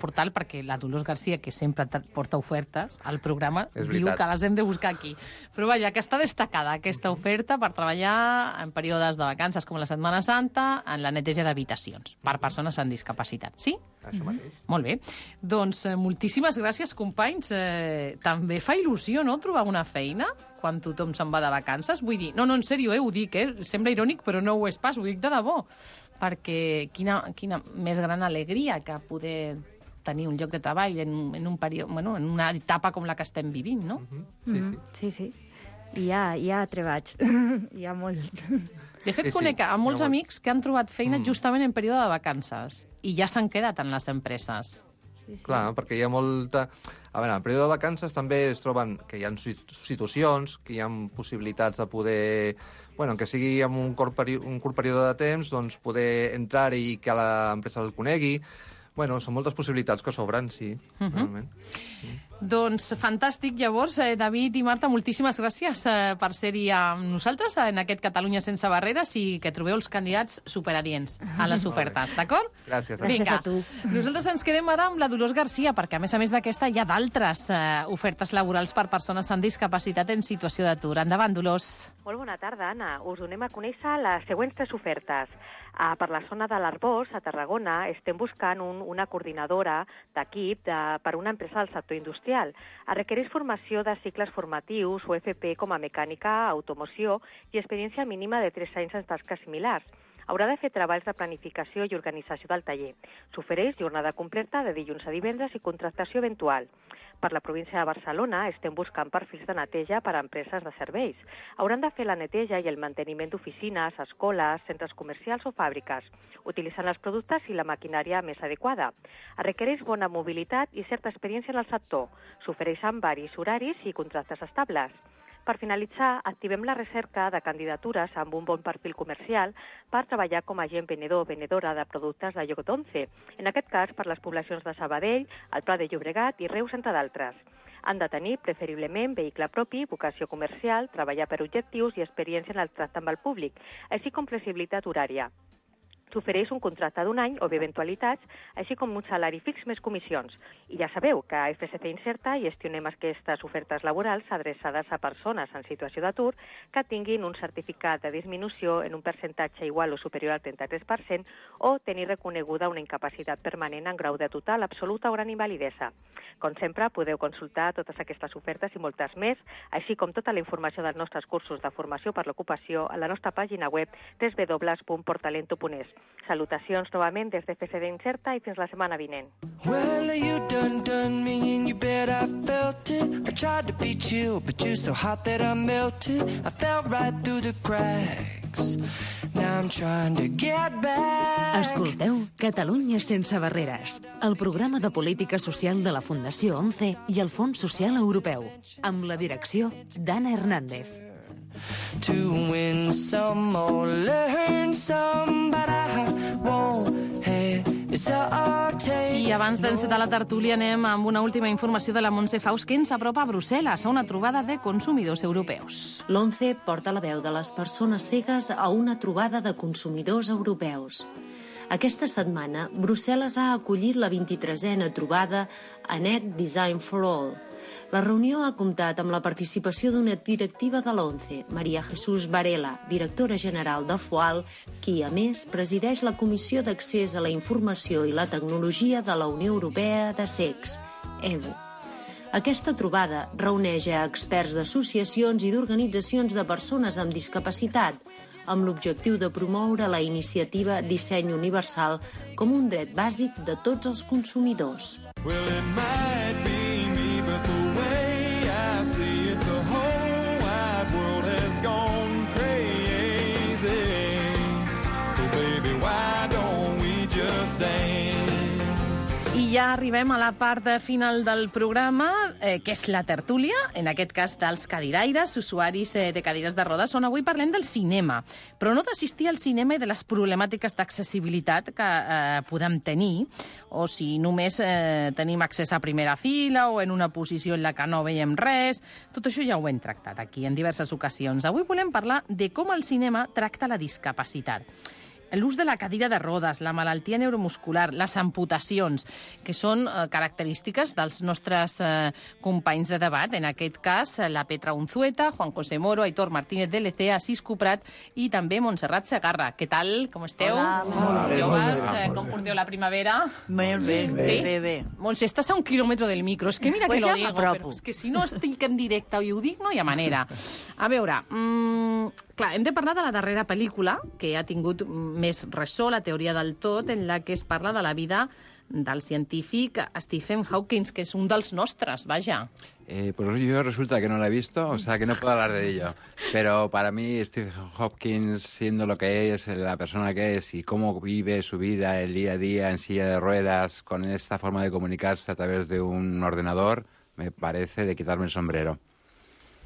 S7: portal perquè la Dolors Garcia, que sempre porta ofertes al programa, diu que les hem de buscar aquí. Però vaja, que està destacada aquesta oferta per treballar en períodes de vacances com la Setmana Santa en la neteja d'habitacions per persones amb discapacitat. Sí?
S16: Això mateix.
S7: Molt bé. Doncs moltíssimes gràcies, companys. També fa il·lusió, no?, trobar una feina quan tothom se'n va de vacances. Vull dir, no, en sèrio, ho dic, sembla irònic, però no ho és pas, ho dic de debò. perquè quina més gran alegria que poder tenir un lloc de treball en un període, bueno, en una etapa com la que estem vivint, no?
S17: Sí. I hi ha treballs. Hi ha molt.
S7: De fet, conec a molts amics que han trobat feina justament en període de vacances i ja s'han quedat en les empreses.
S16: Clar, perquè hi ha molta... A veure, en el període de vacances també es troben que hi ha situacions, que hi ha possibilitats de poder... Bueno, que sigui en un curt període de temps, doncs poder entrar i que l'empresa el conegui. Bueno, són moltes possibilitats que s'obren, sí, realment.
S7: Doncs fantàstic, llavors, David i Marta, moltíssimes gràcies per ser-hi amb nosaltres en aquest Catalunya sense barreres i que trobeu els candidats superadients a les ofertes, d'acord?
S16: Gràcies.
S17: Gràcies a tu.
S7: Nosaltres ens quedem ara amb la Dolors Garcia, perquè a més d'aquesta hi ha d'altres ofertes laborals per persones amb discapacitat en situació d'atur. Endavant, Dolors.
S18: Molt bona tarda, Anna. Us donem a conèixer les següents 3 ofertes. Per la zona de l'Arbós, a Tarragona, estem buscant una coordinadora d'equip per una empresa del sector industrial. Es requereix formació de cicles formatius o FP com a mecànica, automoció i experiència mínima de 3 anys en tasques similars. Haurà de fer treballs de planificació i organització del taller. S'ofereix jornada completa de dilluns a divendres i contractació eventual. Per la província de Barcelona estem buscant perfils de neteja per a empreses de serveis. Hauran de fer la neteja i el manteniment d'oficines, escoles, centres comercials o fàbriques, utilitzant els productes i la maquinària més adequada. Es requereix bona mobilitat i certa experiència en el sector. S'ofereixen varis horaris i contractes estables. Per finalitzar, activem la recerca de candidatures amb un bon perfil comercial per treballar com a agent venedor o venedora de productes de lloc 11, en aquest cas per les poblacions de Sabadell, el Pla de Llobregat i Reus, entre d'altres. Han de tenir, preferiblement, vehicle propi, vocació comercial, treballar per objectius i experiència en el tracte amb el públic, així com flexibilitat horària. S'ofereix un contracte d'1 any o d'eventualitats, així com un salari fix més comissions. I ja sabeu que a FSC Inserta gestionem aquestes ofertes laborals adreçades a persones en situació d'atur que tinguin un certificat de disminució en un percentatge igual o superior al 33% o tenir reconeguda una incapacitat permanent en grau de total, absoluta o gran invalidesa. Com sempre, podeu consultar totes aquestes ofertes i moltes més, així com tota la informació dels nostres cursos de formació per l'ocupació a la nostra pàgina web www.portalento.es. Salutacions novament des de FSC Inserta i fins la setmana vinent.
S15: Well, you done me and you bet I felt it. I tried to be chill, but you're so hot that I melted. I fell right through the cracks. Now I'm trying to get back.
S2: Escolteu Catalunya sense barreres, el programa de política social de la Fundació 11 i el Fons Social Europeu, amb la direcció d'Anna Hernández.
S15: To win some or learn some, but I won't hesitate.
S7: I abans d'encetar la tertúlia anem amb una última informació de la Montse Faust que ens apropa a Brussel·les a una trobada de consumidors europeus.
S8: L'11 porta la veu de les persones cegues a una trobada de consumidors europeus. Aquesta setmana, Brussel·les ha acollit la 23a trobada ANEC Design for All. La reunió ha comptat amb la participació d'una directiva de l'11, Maria Jesús Varela, directora general de FOAL, qui, a més, presideix la Comissió d'Accés a la Informació i la Tecnologia de la Unió Europea de Cecs, EBU. Aquesta trobada reuneix a experts d'associacions i d'organitzacions de persones amb discapacitat, amb l'objectiu de promoure la iniciativa Disseny Universal com un dret bàsic de tots els consumidors.
S15: Well, it might be me, but the way I see it, the whole wide world has gone crazy. So baby, why don't we just dance?
S7: I ja arribem a la part final del programa, que és la tertúlia, en aquest cas dels cadiraires, usuaris de cadires de rodes, on avui parlem del cinema, però no d'assistir al cinema i de les problemàtiques d'accessibilitat que podem tenir, o si només tenim accés a primera fila o en una posició en la que no veiem res. Tot això ja ho hem tractat aquí en diverses ocasions. Avui volem parlar de com el cinema tracta la discapacitat. L'ús de la cadira de rodes, la malaltia neuromuscular, les amputacions, que són característiques dels nostres companys de debat. En aquest cas, la Petra Unzueta, Juan José Moro, Aitor Martínez de l'EC, Asís Cuprat i també Montserrat Segarra. Què tal? Com esteu?
S12: Hola, molt bé.
S7: Joves, com porteu la primavera?
S12: Molt bé,
S7: Sí?
S12: bé.
S7: Montse, estàs a 1 quilòmetre del micro. És que mira
S12: Pues
S7: que lo
S12: ja
S7: digo,
S12: m'apropo.
S7: però és que si no estic en directe i ho dic, no hi ha manera. A veure, Clar, hem de parlar de la darrera pel·lícula, que ha tingut més ressò, La teoria del tot, en la que es parla de la vida del científic Stephen Hawking, que es un dels nostres, vaja.
S19: Pues yo resulta que no la he visto, o sea que no puedo hablar de ello. Pero para mí Stephen Hawking, siendo lo que es, la persona que es y cómo vive su vida, el día a día en silla de ruedas, con esta forma de comunicarse a través de un ordenador, me parece de quitarme el sombrero.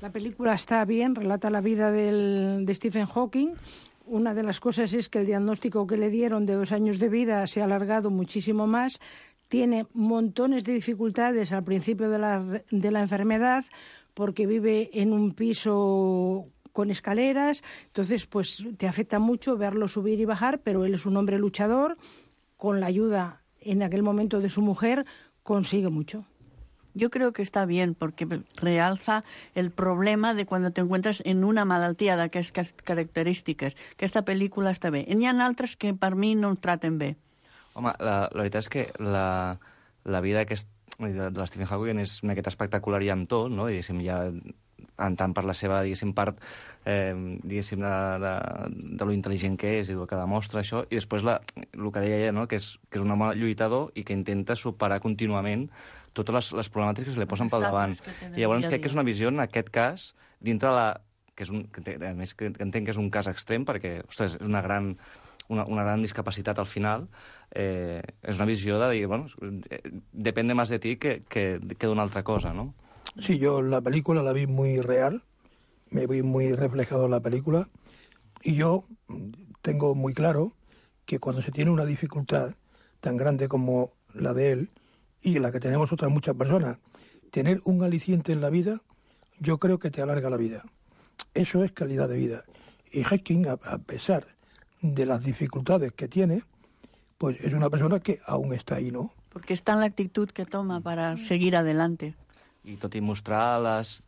S20: La película está bien, relata la vida de Stephen Hawking. Una de las cosas es que el diagnóstico que le dieron de 2 años de vida se ha alargado muchísimo más. Tiene montones de dificultades al principio de la enfermedad porque vive en un piso con escaleras. Entonces, pues te afecta mucho verlo subir y bajar, pero él es un hombre luchador. Con la ayuda en aquel momento de su mujer consigue mucho.
S21: Yo creo que está bien porque realza el problema de cuando te encuentras en una malaltia d'aquestes característiques. Aquesta pel·lícula està bé. N'hi ha altres que per mi no traten bé.
S22: Home, la veritat és que la vida de l'Stephen Hawking és una miqueta espectacular i amb tot, no? Diguéssim, ja tant per la seva, diguéssim, part diguéssim, de lo intel·ligent que és i el que demostra això, i després el que deia ella, no? que és un home lluitador i que intenta superar contínuament totes les problemàtiques que se li posen pel davant. I llavors crec que és una visió, en aquest cas, dintre de la... a més, que entenc que és un cas extrem, perquè, ostres, és una gran discapacitat al final, és una visió de dir, bueno, depende más de ti que d'una altra cosa, ¿no?
S23: Sí, yo la película la vi muy real, me vi muy reflejado en la película, y yo tengo muy claro que cuando se tiene una dificultad tan grande como la de él, y la que tenemos otras muchas personas, tener un aliciente en la vida, yo creo que te alarga la vida. Eso es calidad de vida. Y Hawking, a pesar de las dificultades que tiene, pues es una persona que aún está ahí, ¿no?
S21: Porque está en la actitud que toma para seguir adelante.
S22: I tot i mostrar les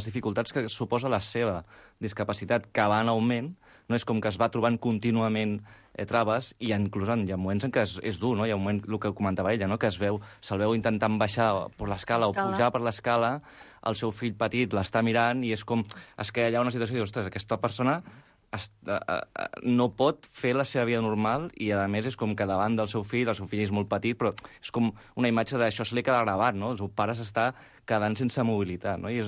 S22: dificultats que suposa la seva discapacitat, que va en augment, no és com que es va trobant contínuament traves, i inclús hi ha moments en què és dur, no? Hi ha un moment, el que comentava ella, no? Que se'l veu intentant baixar per l'escala o pujar per l'escala, el seu fill petit l'està mirant i és com... És que hi ha una situació i dius, ostres, aquesta persona no pot fer la seva vida normal i, a més, és com que davant del seu fill és molt petit, però és com una imatge d'això se li queda gravat, no? El seu pare s'està quedant sense mobilitat, no? I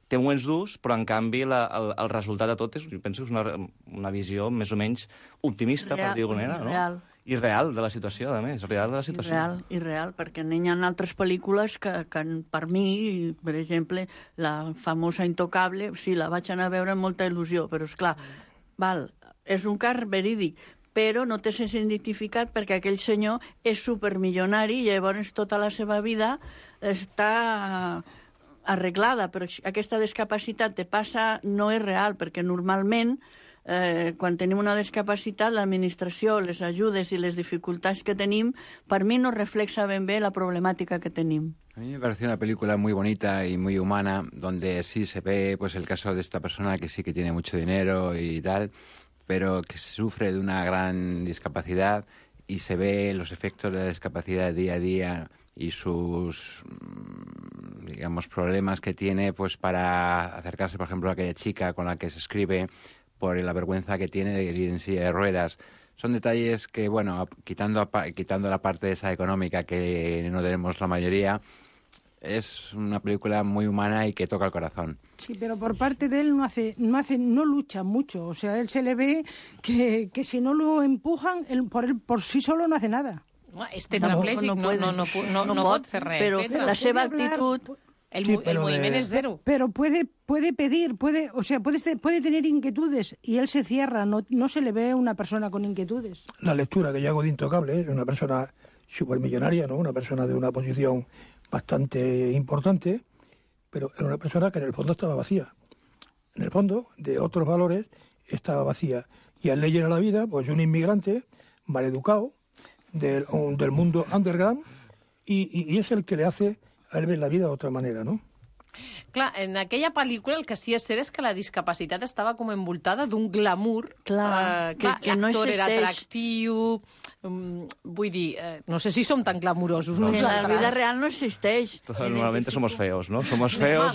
S22: té moments durs, però, en canvi, el resultat de tot penso que és una visió més o menys optimista, per dir-ho d'alguna manera, no? I real de la situació, a més, real de la situació.
S21: Real, perquè n'hi ha altres pel·lícules que per mi, per exemple, la famosa Intocable, sí, la vaig anar a veure amb molta il·lusió, però, esclar, és un cas verídic, però no te sents identificat perquè aquell senyor és supermilionari i llavors tota la seva vida està arreglada, però aquesta discapacitat te passa, no és real, perquè normalment quan tenim una discapacitat, l'administració, les ajudes i les dificultats que tenim, per mi no reflexa ben bé la problemàtica que tenim.
S19: A mí me pareció una película muy bonita y muy humana, donde sí se ve pues el caso de esta persona que sí que tiene mucho dinero y tal, pero que sufre de una gran discapacidad y se ve los efectos de la discapacidad día a día y sus, digamos, problemas que tiene pues para acercarse, por ejemplo, a aquella chica con la que se escribe, por la vergüenza que tiene de ir en silla de ruedas. Son detalles que, bueno, quitando la parte esa económica que no tenemos la mayoría, es una película muy humana y que toca el corazón.
S20: Sí, pero por parte de él no lucha mucho. O sea, él se le ve que si no lo empujan, él por sí solo no hace nada.
S7: És tetraplègic, no pot fer res.
S21: Però la seva actitud...
S7: El moviment es cero.
S20: Pero puede pedir, puede tener inquietudes y él se cierra, no se le ve una persona con inquietudes.
S23: La lectura que yo hago de Intocable es una persona supermillonaria, ¿no? Una persona de una posición bastante importante, pero era una persona que en el fondo estaba vacía. En el fondo, de otros valores, estaba vacía. Y al leer a la vida, pues un inmigrante maleducado del mundo underground y es el que le hace a él ver la vida de otra manera, ¿no?
S7: Clar, en aquella pel·lícula el que sí és cert és que la discapacitat estava com envoltada d'un glamour.
S21: Clar, que no
S7: l'actor era
S21: existeix.
S7: atractiu. Vull dir, no sé si som tan glamurosos
S21: En
S7: nosaltres.
S21: la vida real no existeix.
S22: Normalmente somos feos, ¿no? Somos feos,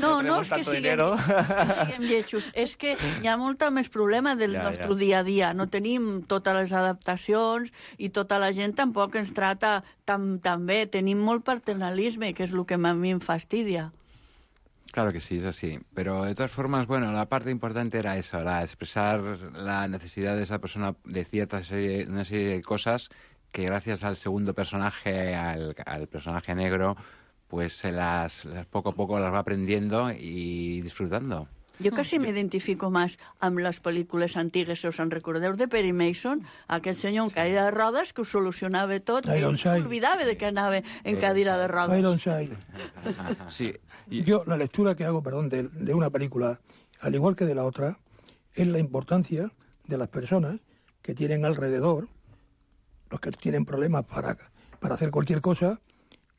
S21: No,
S22: tenemos
S21: és que
S22: tanto
S21: siguem,
S22: dinero.
S21: siguem lletjos. És que hi ha molt més problema del nostre dia a dia. No tenim totes les adaptacions i tota la gent tampoc ens trata tan bé. Tenim molt paternalisme, que és el que a mi em fastidia.
S19: Claro que sí, es así. Pero de todas formas, bueno, la parte importante era eso, era expresar la necesidad de esa persona de una serie de cosas que gracias al segundo personaje, al personaje negro, pues poco a poco las va aprendiendo y disfrutando.
S21: Jo quasi m'identifico més amb les pel·lícules antigues, si us en recordeu, de Perry Mason, aquell senyor en cadira de rodes que ho solucionava tot i s'oblidava de que anava en cadira de rodes.
S23: Ironside.
S22: Sí.
S23: Yo, la lectura que hago, de una película, al igual que de la otra, es la importancia de las personas que tienen alrededor, los que tienen problemas para hacer cualquier cosa,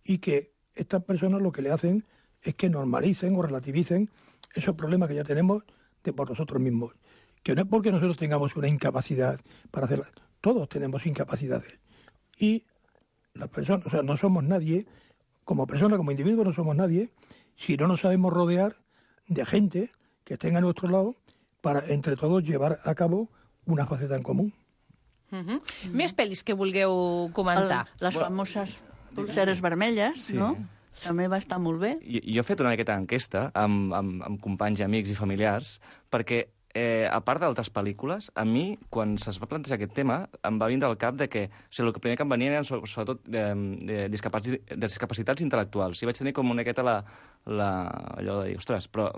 S23: y que estas personas lo que le hacen es que normalicen o relativicen esos problemas que ya tenemos por nosotros mismos. Que no es porque nosotros tengamos una incapacidad para hacerla. Todos tenemos incapacidades. Y las personas, o sea, no somos nadie, como personas, como individuos no somos nadie, si no nos sabemos rodear de gente que estén a nuestro lado para, entre todos, llevar a cabo una faceta en común.
S7: Més pel·lis que vulgueu comentar.
S21: Les famoses pulseres vermelles, no? També va estar molt bé.
S22: Jo he fet una miqueta d'enquesta amb companys, amics i familiars, perquè, a part d'altres pel·lícules, a mi, quan se'ns va plantejar aquest tema, em va vindre al cap de que, o sigui, el primer que em venien eren sobretot discapacitats intel·lectuals. I vaig tenir com una miqueta allò de dir, ostres, però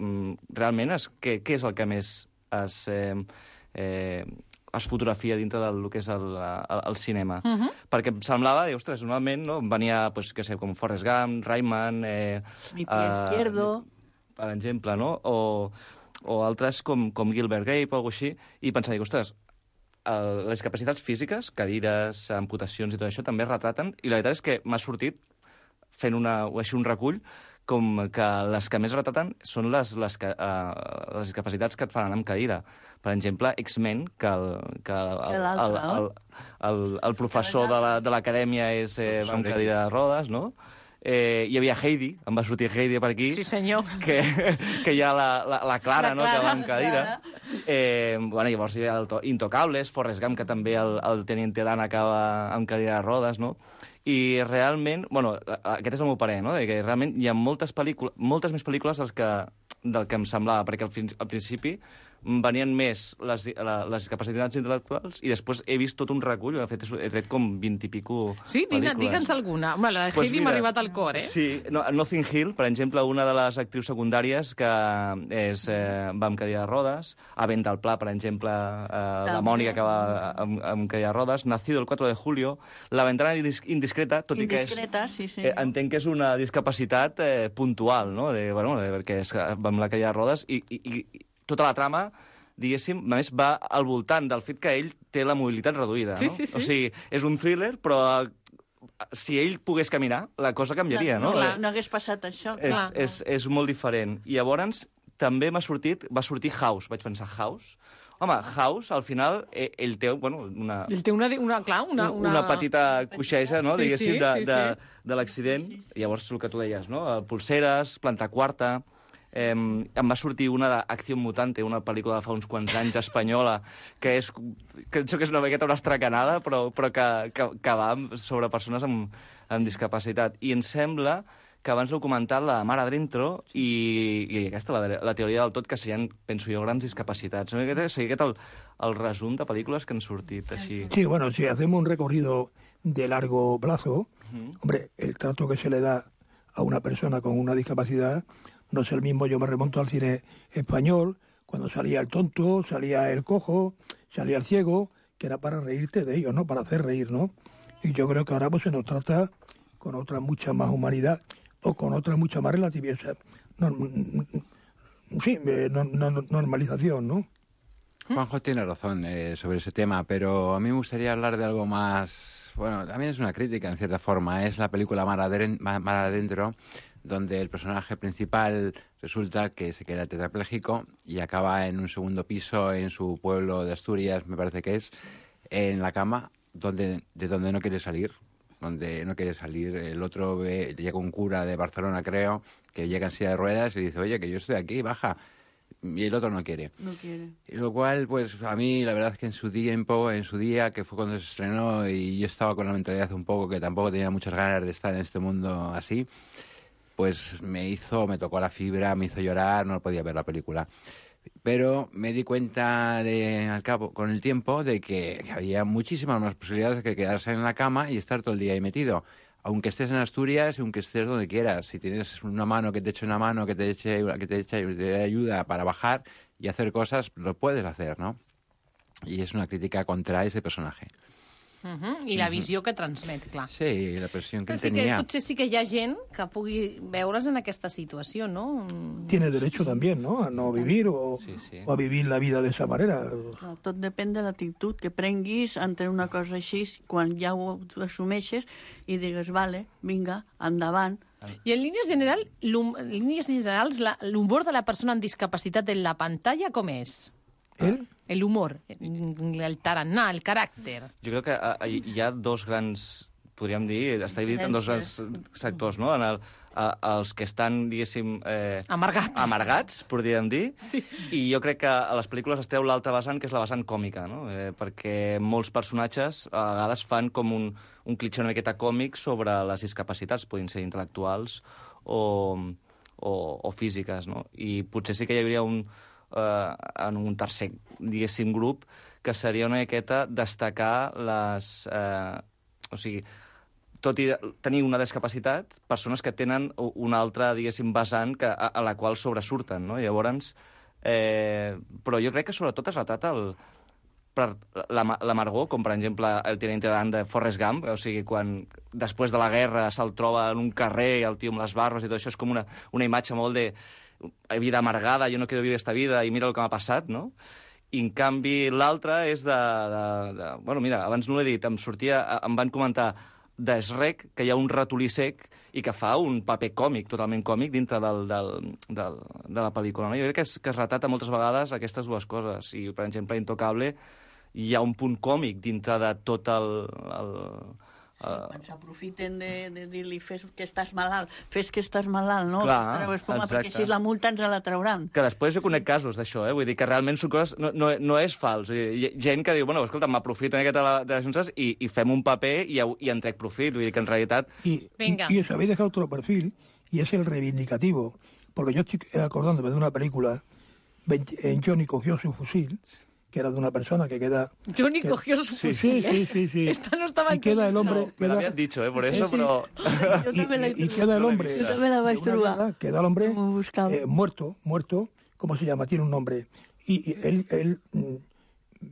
S22: realment què és el que més es fotografia dintre del que és el cinema. Perquè em semblava, ostres, normalment no, venia, pues, què sé, com Forrest Gump, Rayman...
S21: Mi pie izquierdo...
S22: Per exemple, no? O altres com Gilbert Grape o alguna així, i pensava, ostres, les discapacitats físiques, cadires, amputacions i tot això, també es retraten, i la veritat és que m'ha sortit, fent un recull, com que les que més retraten són les discapacitats que et fan anar amb cadira. Per exemple, X-Men, que el professor de l'acadèmia és amb cadira de rodes, no? Hi havia Heidi, em va sortir Heidi per aquí.
S7: Sí, senyor.
S22: Que hi ha la Clara, no?, que va amb cadira. Llavors hi ha Intocables, Forrest Gump, que també el Teniente Dan acaba amb cadira de rodes, no? I realment, aquest és el meu parer, no?, que realment hi ha moltes més pel·lícules del que em semblava, perquè al principi venien més les discapacitats intel·lectuals i després he vist tot un recull, de fet he tret com 20 i pico
S7: sí,
S22: pel·lícules.
S7: digue'ns alguna. Home, la de Heidi m'ha arribat al cor,
S22: Sí, Notting Hill, per exemple, una de les actrius secundàries que va amb cadira de rodes, a Vent al Pla, per exemple, la Mònica que va amb cadira de rodes, Nacido el 4 de julio, La ventana indiscreta, tot i que entenc que és una discapacitat puntual, no? Perquè va amb la cadira de rodes i tota la trama, diguéssim, a més, va al voltant del fet que ell té la mobilitat reduïda, no?
S7: Sí.
S22: O sigui, és un thriller, però si ell pogués caminar, la cosa canviaria, no?
S21: No hagués passat això.
S22: És molt diferent. I llavors també va sortir House. Vaig pensar, House? Home, House, al final, ell té, una...
S7: Ell té una
S22: petita coixeja, no?, diguéssim,
S7: sí.
S22: de l'accident. Llavors, el que tu deies, no?, Pulseres, Planta Quarta... em va sortir una d'Acció Mutante, una pel·lícula de fa uns quants anys espanyola, que penso que és una miqueta una estracanada, però que va sobre persones amb discapacitat. I em sembla que abans l'heu comentat, la Mar Adentro, i aquesta, la teoria del tot, que serien, penso jo, grans discapacitats. Seria aquest el resum de pel·lícules que han sortit així.
S23: Sí, bueno, si hacemos un recorrido de largo plazo, hombre, el trato que se le da a una persona con una discapacidad no es el mismo. Yo me remonto al cine español, cuando salía el tonto, salía el cojo, salía el ciego, que era para reírte de ellos, ¿no? Para hacer reír, ¿no? Y yo creo que ahora pues se nos trata con otra mucha más humanidad o con otra mucha más relatividad. Normalización, ¿no?
S19: Juanjo tiene razón sobre ese tema, pero a mí me gustaría hablar de algo más... Bueno, también es una crítica en cierta forma. Es la película Mar Adentro, donde el personaje principal resulta que se queda tetrapléjico y acaba en un segundo piso en su pueblo de Asturias, me parece que es, en la cama, de donde no quiere salir. El otro llega un cura de Barcelona, creo, que llega en silla de ruedas y dice, oye, que yo estoy aquí, baja. Y el otro no quiere. Y lo cual, pues a mí, la verdad es que en su día, que fue cuando se estrenó, y yo estaba con la mentalidad un poco que tampoco tenía muchas ganas de estar en este mundo así, pues me tocó la fibra, me hizo llorar, no podía ver la película. Pero me di cuenta al cabo, con el tiempo, de que había muchísimas más posibilidades que quedarse en la cama y estar todo el día ahí metido. Aunque estés en Asturias, aunque estés donde quieras, si tienes una mano que te eche una mano, que te ayuda para bajar y hacer cosas, lo puedes hacer, ¿no? Y és una crítica contra ese personaje.
S7: I la visió que transmet, clar.
S19: Sí, la pressió que
S7: sí
S19: tenia.
S7: Que potser sí que hi ha gent que pugui veure's en aquesta situació, no?
S23: Tiene derecho también, ¿no? A no vivir o a vivir la vida de esa manera.
S21: No, tot depèn de l'actitud que prenguis ante una cosa així, quan ja ho assumeixes i digues, vale, vinga, endavant.
S7: I en línies generals, l'humor de la persona amb discapacitat en la pantalla com és? El humor, el tarannà, el caràcter.
S22: Jo crec que hi ha dos grans, podríem dir, està dividit en dos grans sectors, no? Els que estan, diguéssim... Amargats, podríem dir. Sí. I jo crec que a les pel·lícules es treu l'altra vessant, que és la vessant còmica, no? Perquè molts personatges a vegades fan com un clitxé una miqueta còmic sobre les discapacitats, podien ser intel·lectuals o físiques, no? I potser sí que hi hauria en un tercer, diguéssim, grup, que seria una miqueta destacar les... o sigui, tot i tenir una discapacitat, persones que tenen una altra, diguéssim, vessant a la qual sobresurten, no? Llavors, però jo crec que sobretot es retrata l'amargor, com per exemple el Teniente Dan de Forrest Gump, o sigui, quan després de la guerra se'l troba en un carrer, el tio amb les barbes i tot això, és com una imatge molt de vida amargada, yo no quiero vivir esta vida i mira el que m'ha passat, no? I en canvi l'altre és bueno, mira, abans no l'he dit, em van comentar de Shrek que hi ha un ratolí sec i que fa un paper còmic, totalment còmic, dintre de la pel·lícula. No? Jo crec que es retrata moltes vegades aquestes dues coses. I, per exemple, a Intocable hi ha un punt còmic dintre de tot
S21: quan s'aprofiten de dir-li fes que estàs malalt, no?
S22: Clar,
S21: perquè així la multa ens la trauran.
S22: Que després jo conec casos d'això, vull dir que realment són coses... No és fals. Hi ha gent que diu, bueno, escolta, m'aprofito una miqueta de les juntes i fem un paper i en trec profit. Vull dir que en realitat...
S23: Y os habéis dejado otro perfil, y es el reivindicativo. Porque yo estoy acordándome de una película, en Johnny cogió su fusil, que era de una persona que queda...
S7: Johnny cogió su fusil,
S23: Sí.
S7: Esta no estaba
S23: y queda el hombre...
S22: Me lo habían dicho, por eso, pero...
S23: Y queda el hombre...
S21: Yo también la vaig trobar.
S23: Queda el hombre muerto, ¿cómo se llama? Tiene un nombre. Y él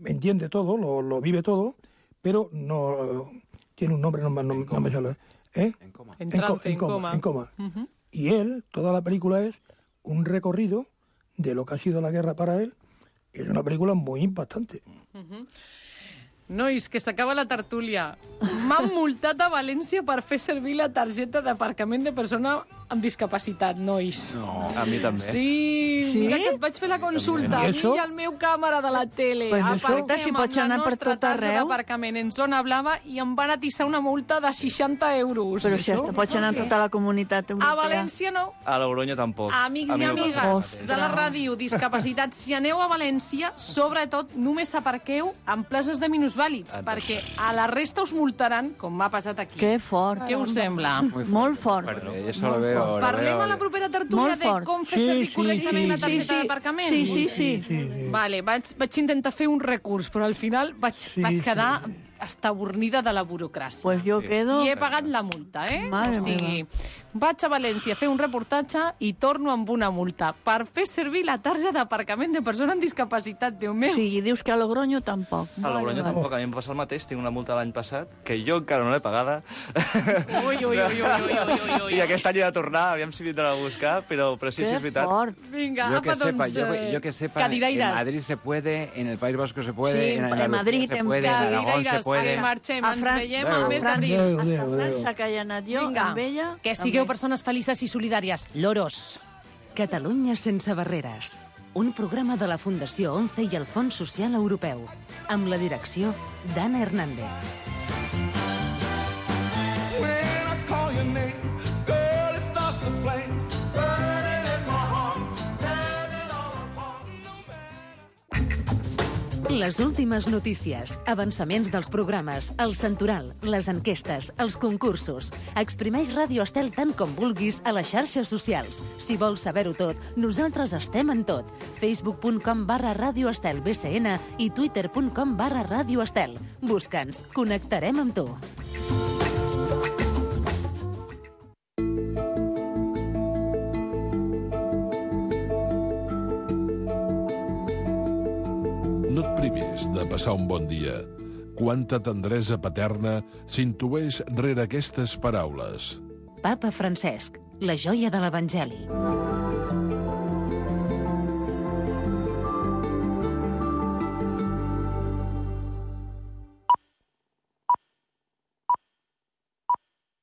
S23: entiende todo, lo vive todo, pero no... Tiene un nombre, no me sale.
S7: En coma.
S23: Y él, toda la película es un recorrido de lo que ha sido la guerra para él. És una pel·lícula molt impactante.
S7: Nois, que s'acaba la tertúlia. M'han multat a València per fer servir la targeta d'aparcament de persona amb discapacitat, nois.
S22: No, a mi també.
S7: Sí, mira que et vaig fer la consulta. A mi i al meu càmera de la tele.
S21: Pues escolta, si pots anar per tot arreu.
S7: D'aparcament en zona blava i em van atissar una multa de 60 euros.
S21: Però si hasta pots anar a tota la comunitat europea.
S7: A València no.
S22: A Logroño tampoc.
S7: Amics i amigues de la ràdio, discapacitat, si aneu a València, sobretot només aparqueu en places de minusvàlids, perquè a la resta us multaran, com m'ha passat aquí.
S21: Que fort.
S7: Què us sembla?
S21: Molt fort.
S7: Parlem a la propera tertúlia de com fer servir correctament la targeta d'aparcament?
S21: Sí.
S7: Vale, vaig intentar fer un recurs, però al final vaig quedar estabornida de la burocràcia.
S21: Pues yo quedo...
S7: I he pagat la multa,
S21: Madre meva.
S7: Vaig a València a fer un reportatge i torno amb una multa per fer servir la tarja d'aparcament de persona amb discapacitat, Déu meu.
S21: Sí, i dius que a Logroño tampoc.
S22: A Logroño tampoc, a mi em passa el mateix, tinc una multa l'any passat, que jo encara no l'he pagada.
S7: Ui.
S22: I aquest any he de tornar, aviam si vindran a buscar, però sí, és veritat.
S7: Vinga,
S19: Yo
S7: apa,
S19: yo que sepa, en
S7: Cadiraires.
S19: Madrid se puede, en el País Vasco se puede,
S21: Sí,
S19: en
S21: en
S19: Andalucía
S21: Madrid,
S19: se
S21: en
S19: puede, en Aragón se puede.
S7: Marxem,
S21: A
S7: ens
S21: Fran-
S7: veiem
S21: a
S7: al mes d'abril.
S21: A França, que hi ha anat jo,
S7: Vinga,
S21: amb ella...
S7: que sigueu persones felices i solidàries. Loros.
S2: Catalunya sense barreres. Un programa de la Fundació 11 i el Fons Social Europeu. Amb la direcció d'Anna Hernández.
S15: When I call your name, girl, it starts to flame. Burning in my heart, tearing it all apart.
S2: Les últimes notícies, avançaments dels programes, el santoral, les enquestes, els concursos. Exprimeix Ràdio Estel tant com vulguis a les xarxes socials. Si vols saber-ho tot, nosaltres estem en tot. Facebook.com/Ràdio Estel BCN i Twitter.com/Ràdio Estel. Busca'ns, connectarem amb tu.
S3: No et privis de passar un bon dia. Quanta tendresa paterna s'intueix rere aquestes paraules.
S2: Papa Francesc, la joia de l'Evangeli.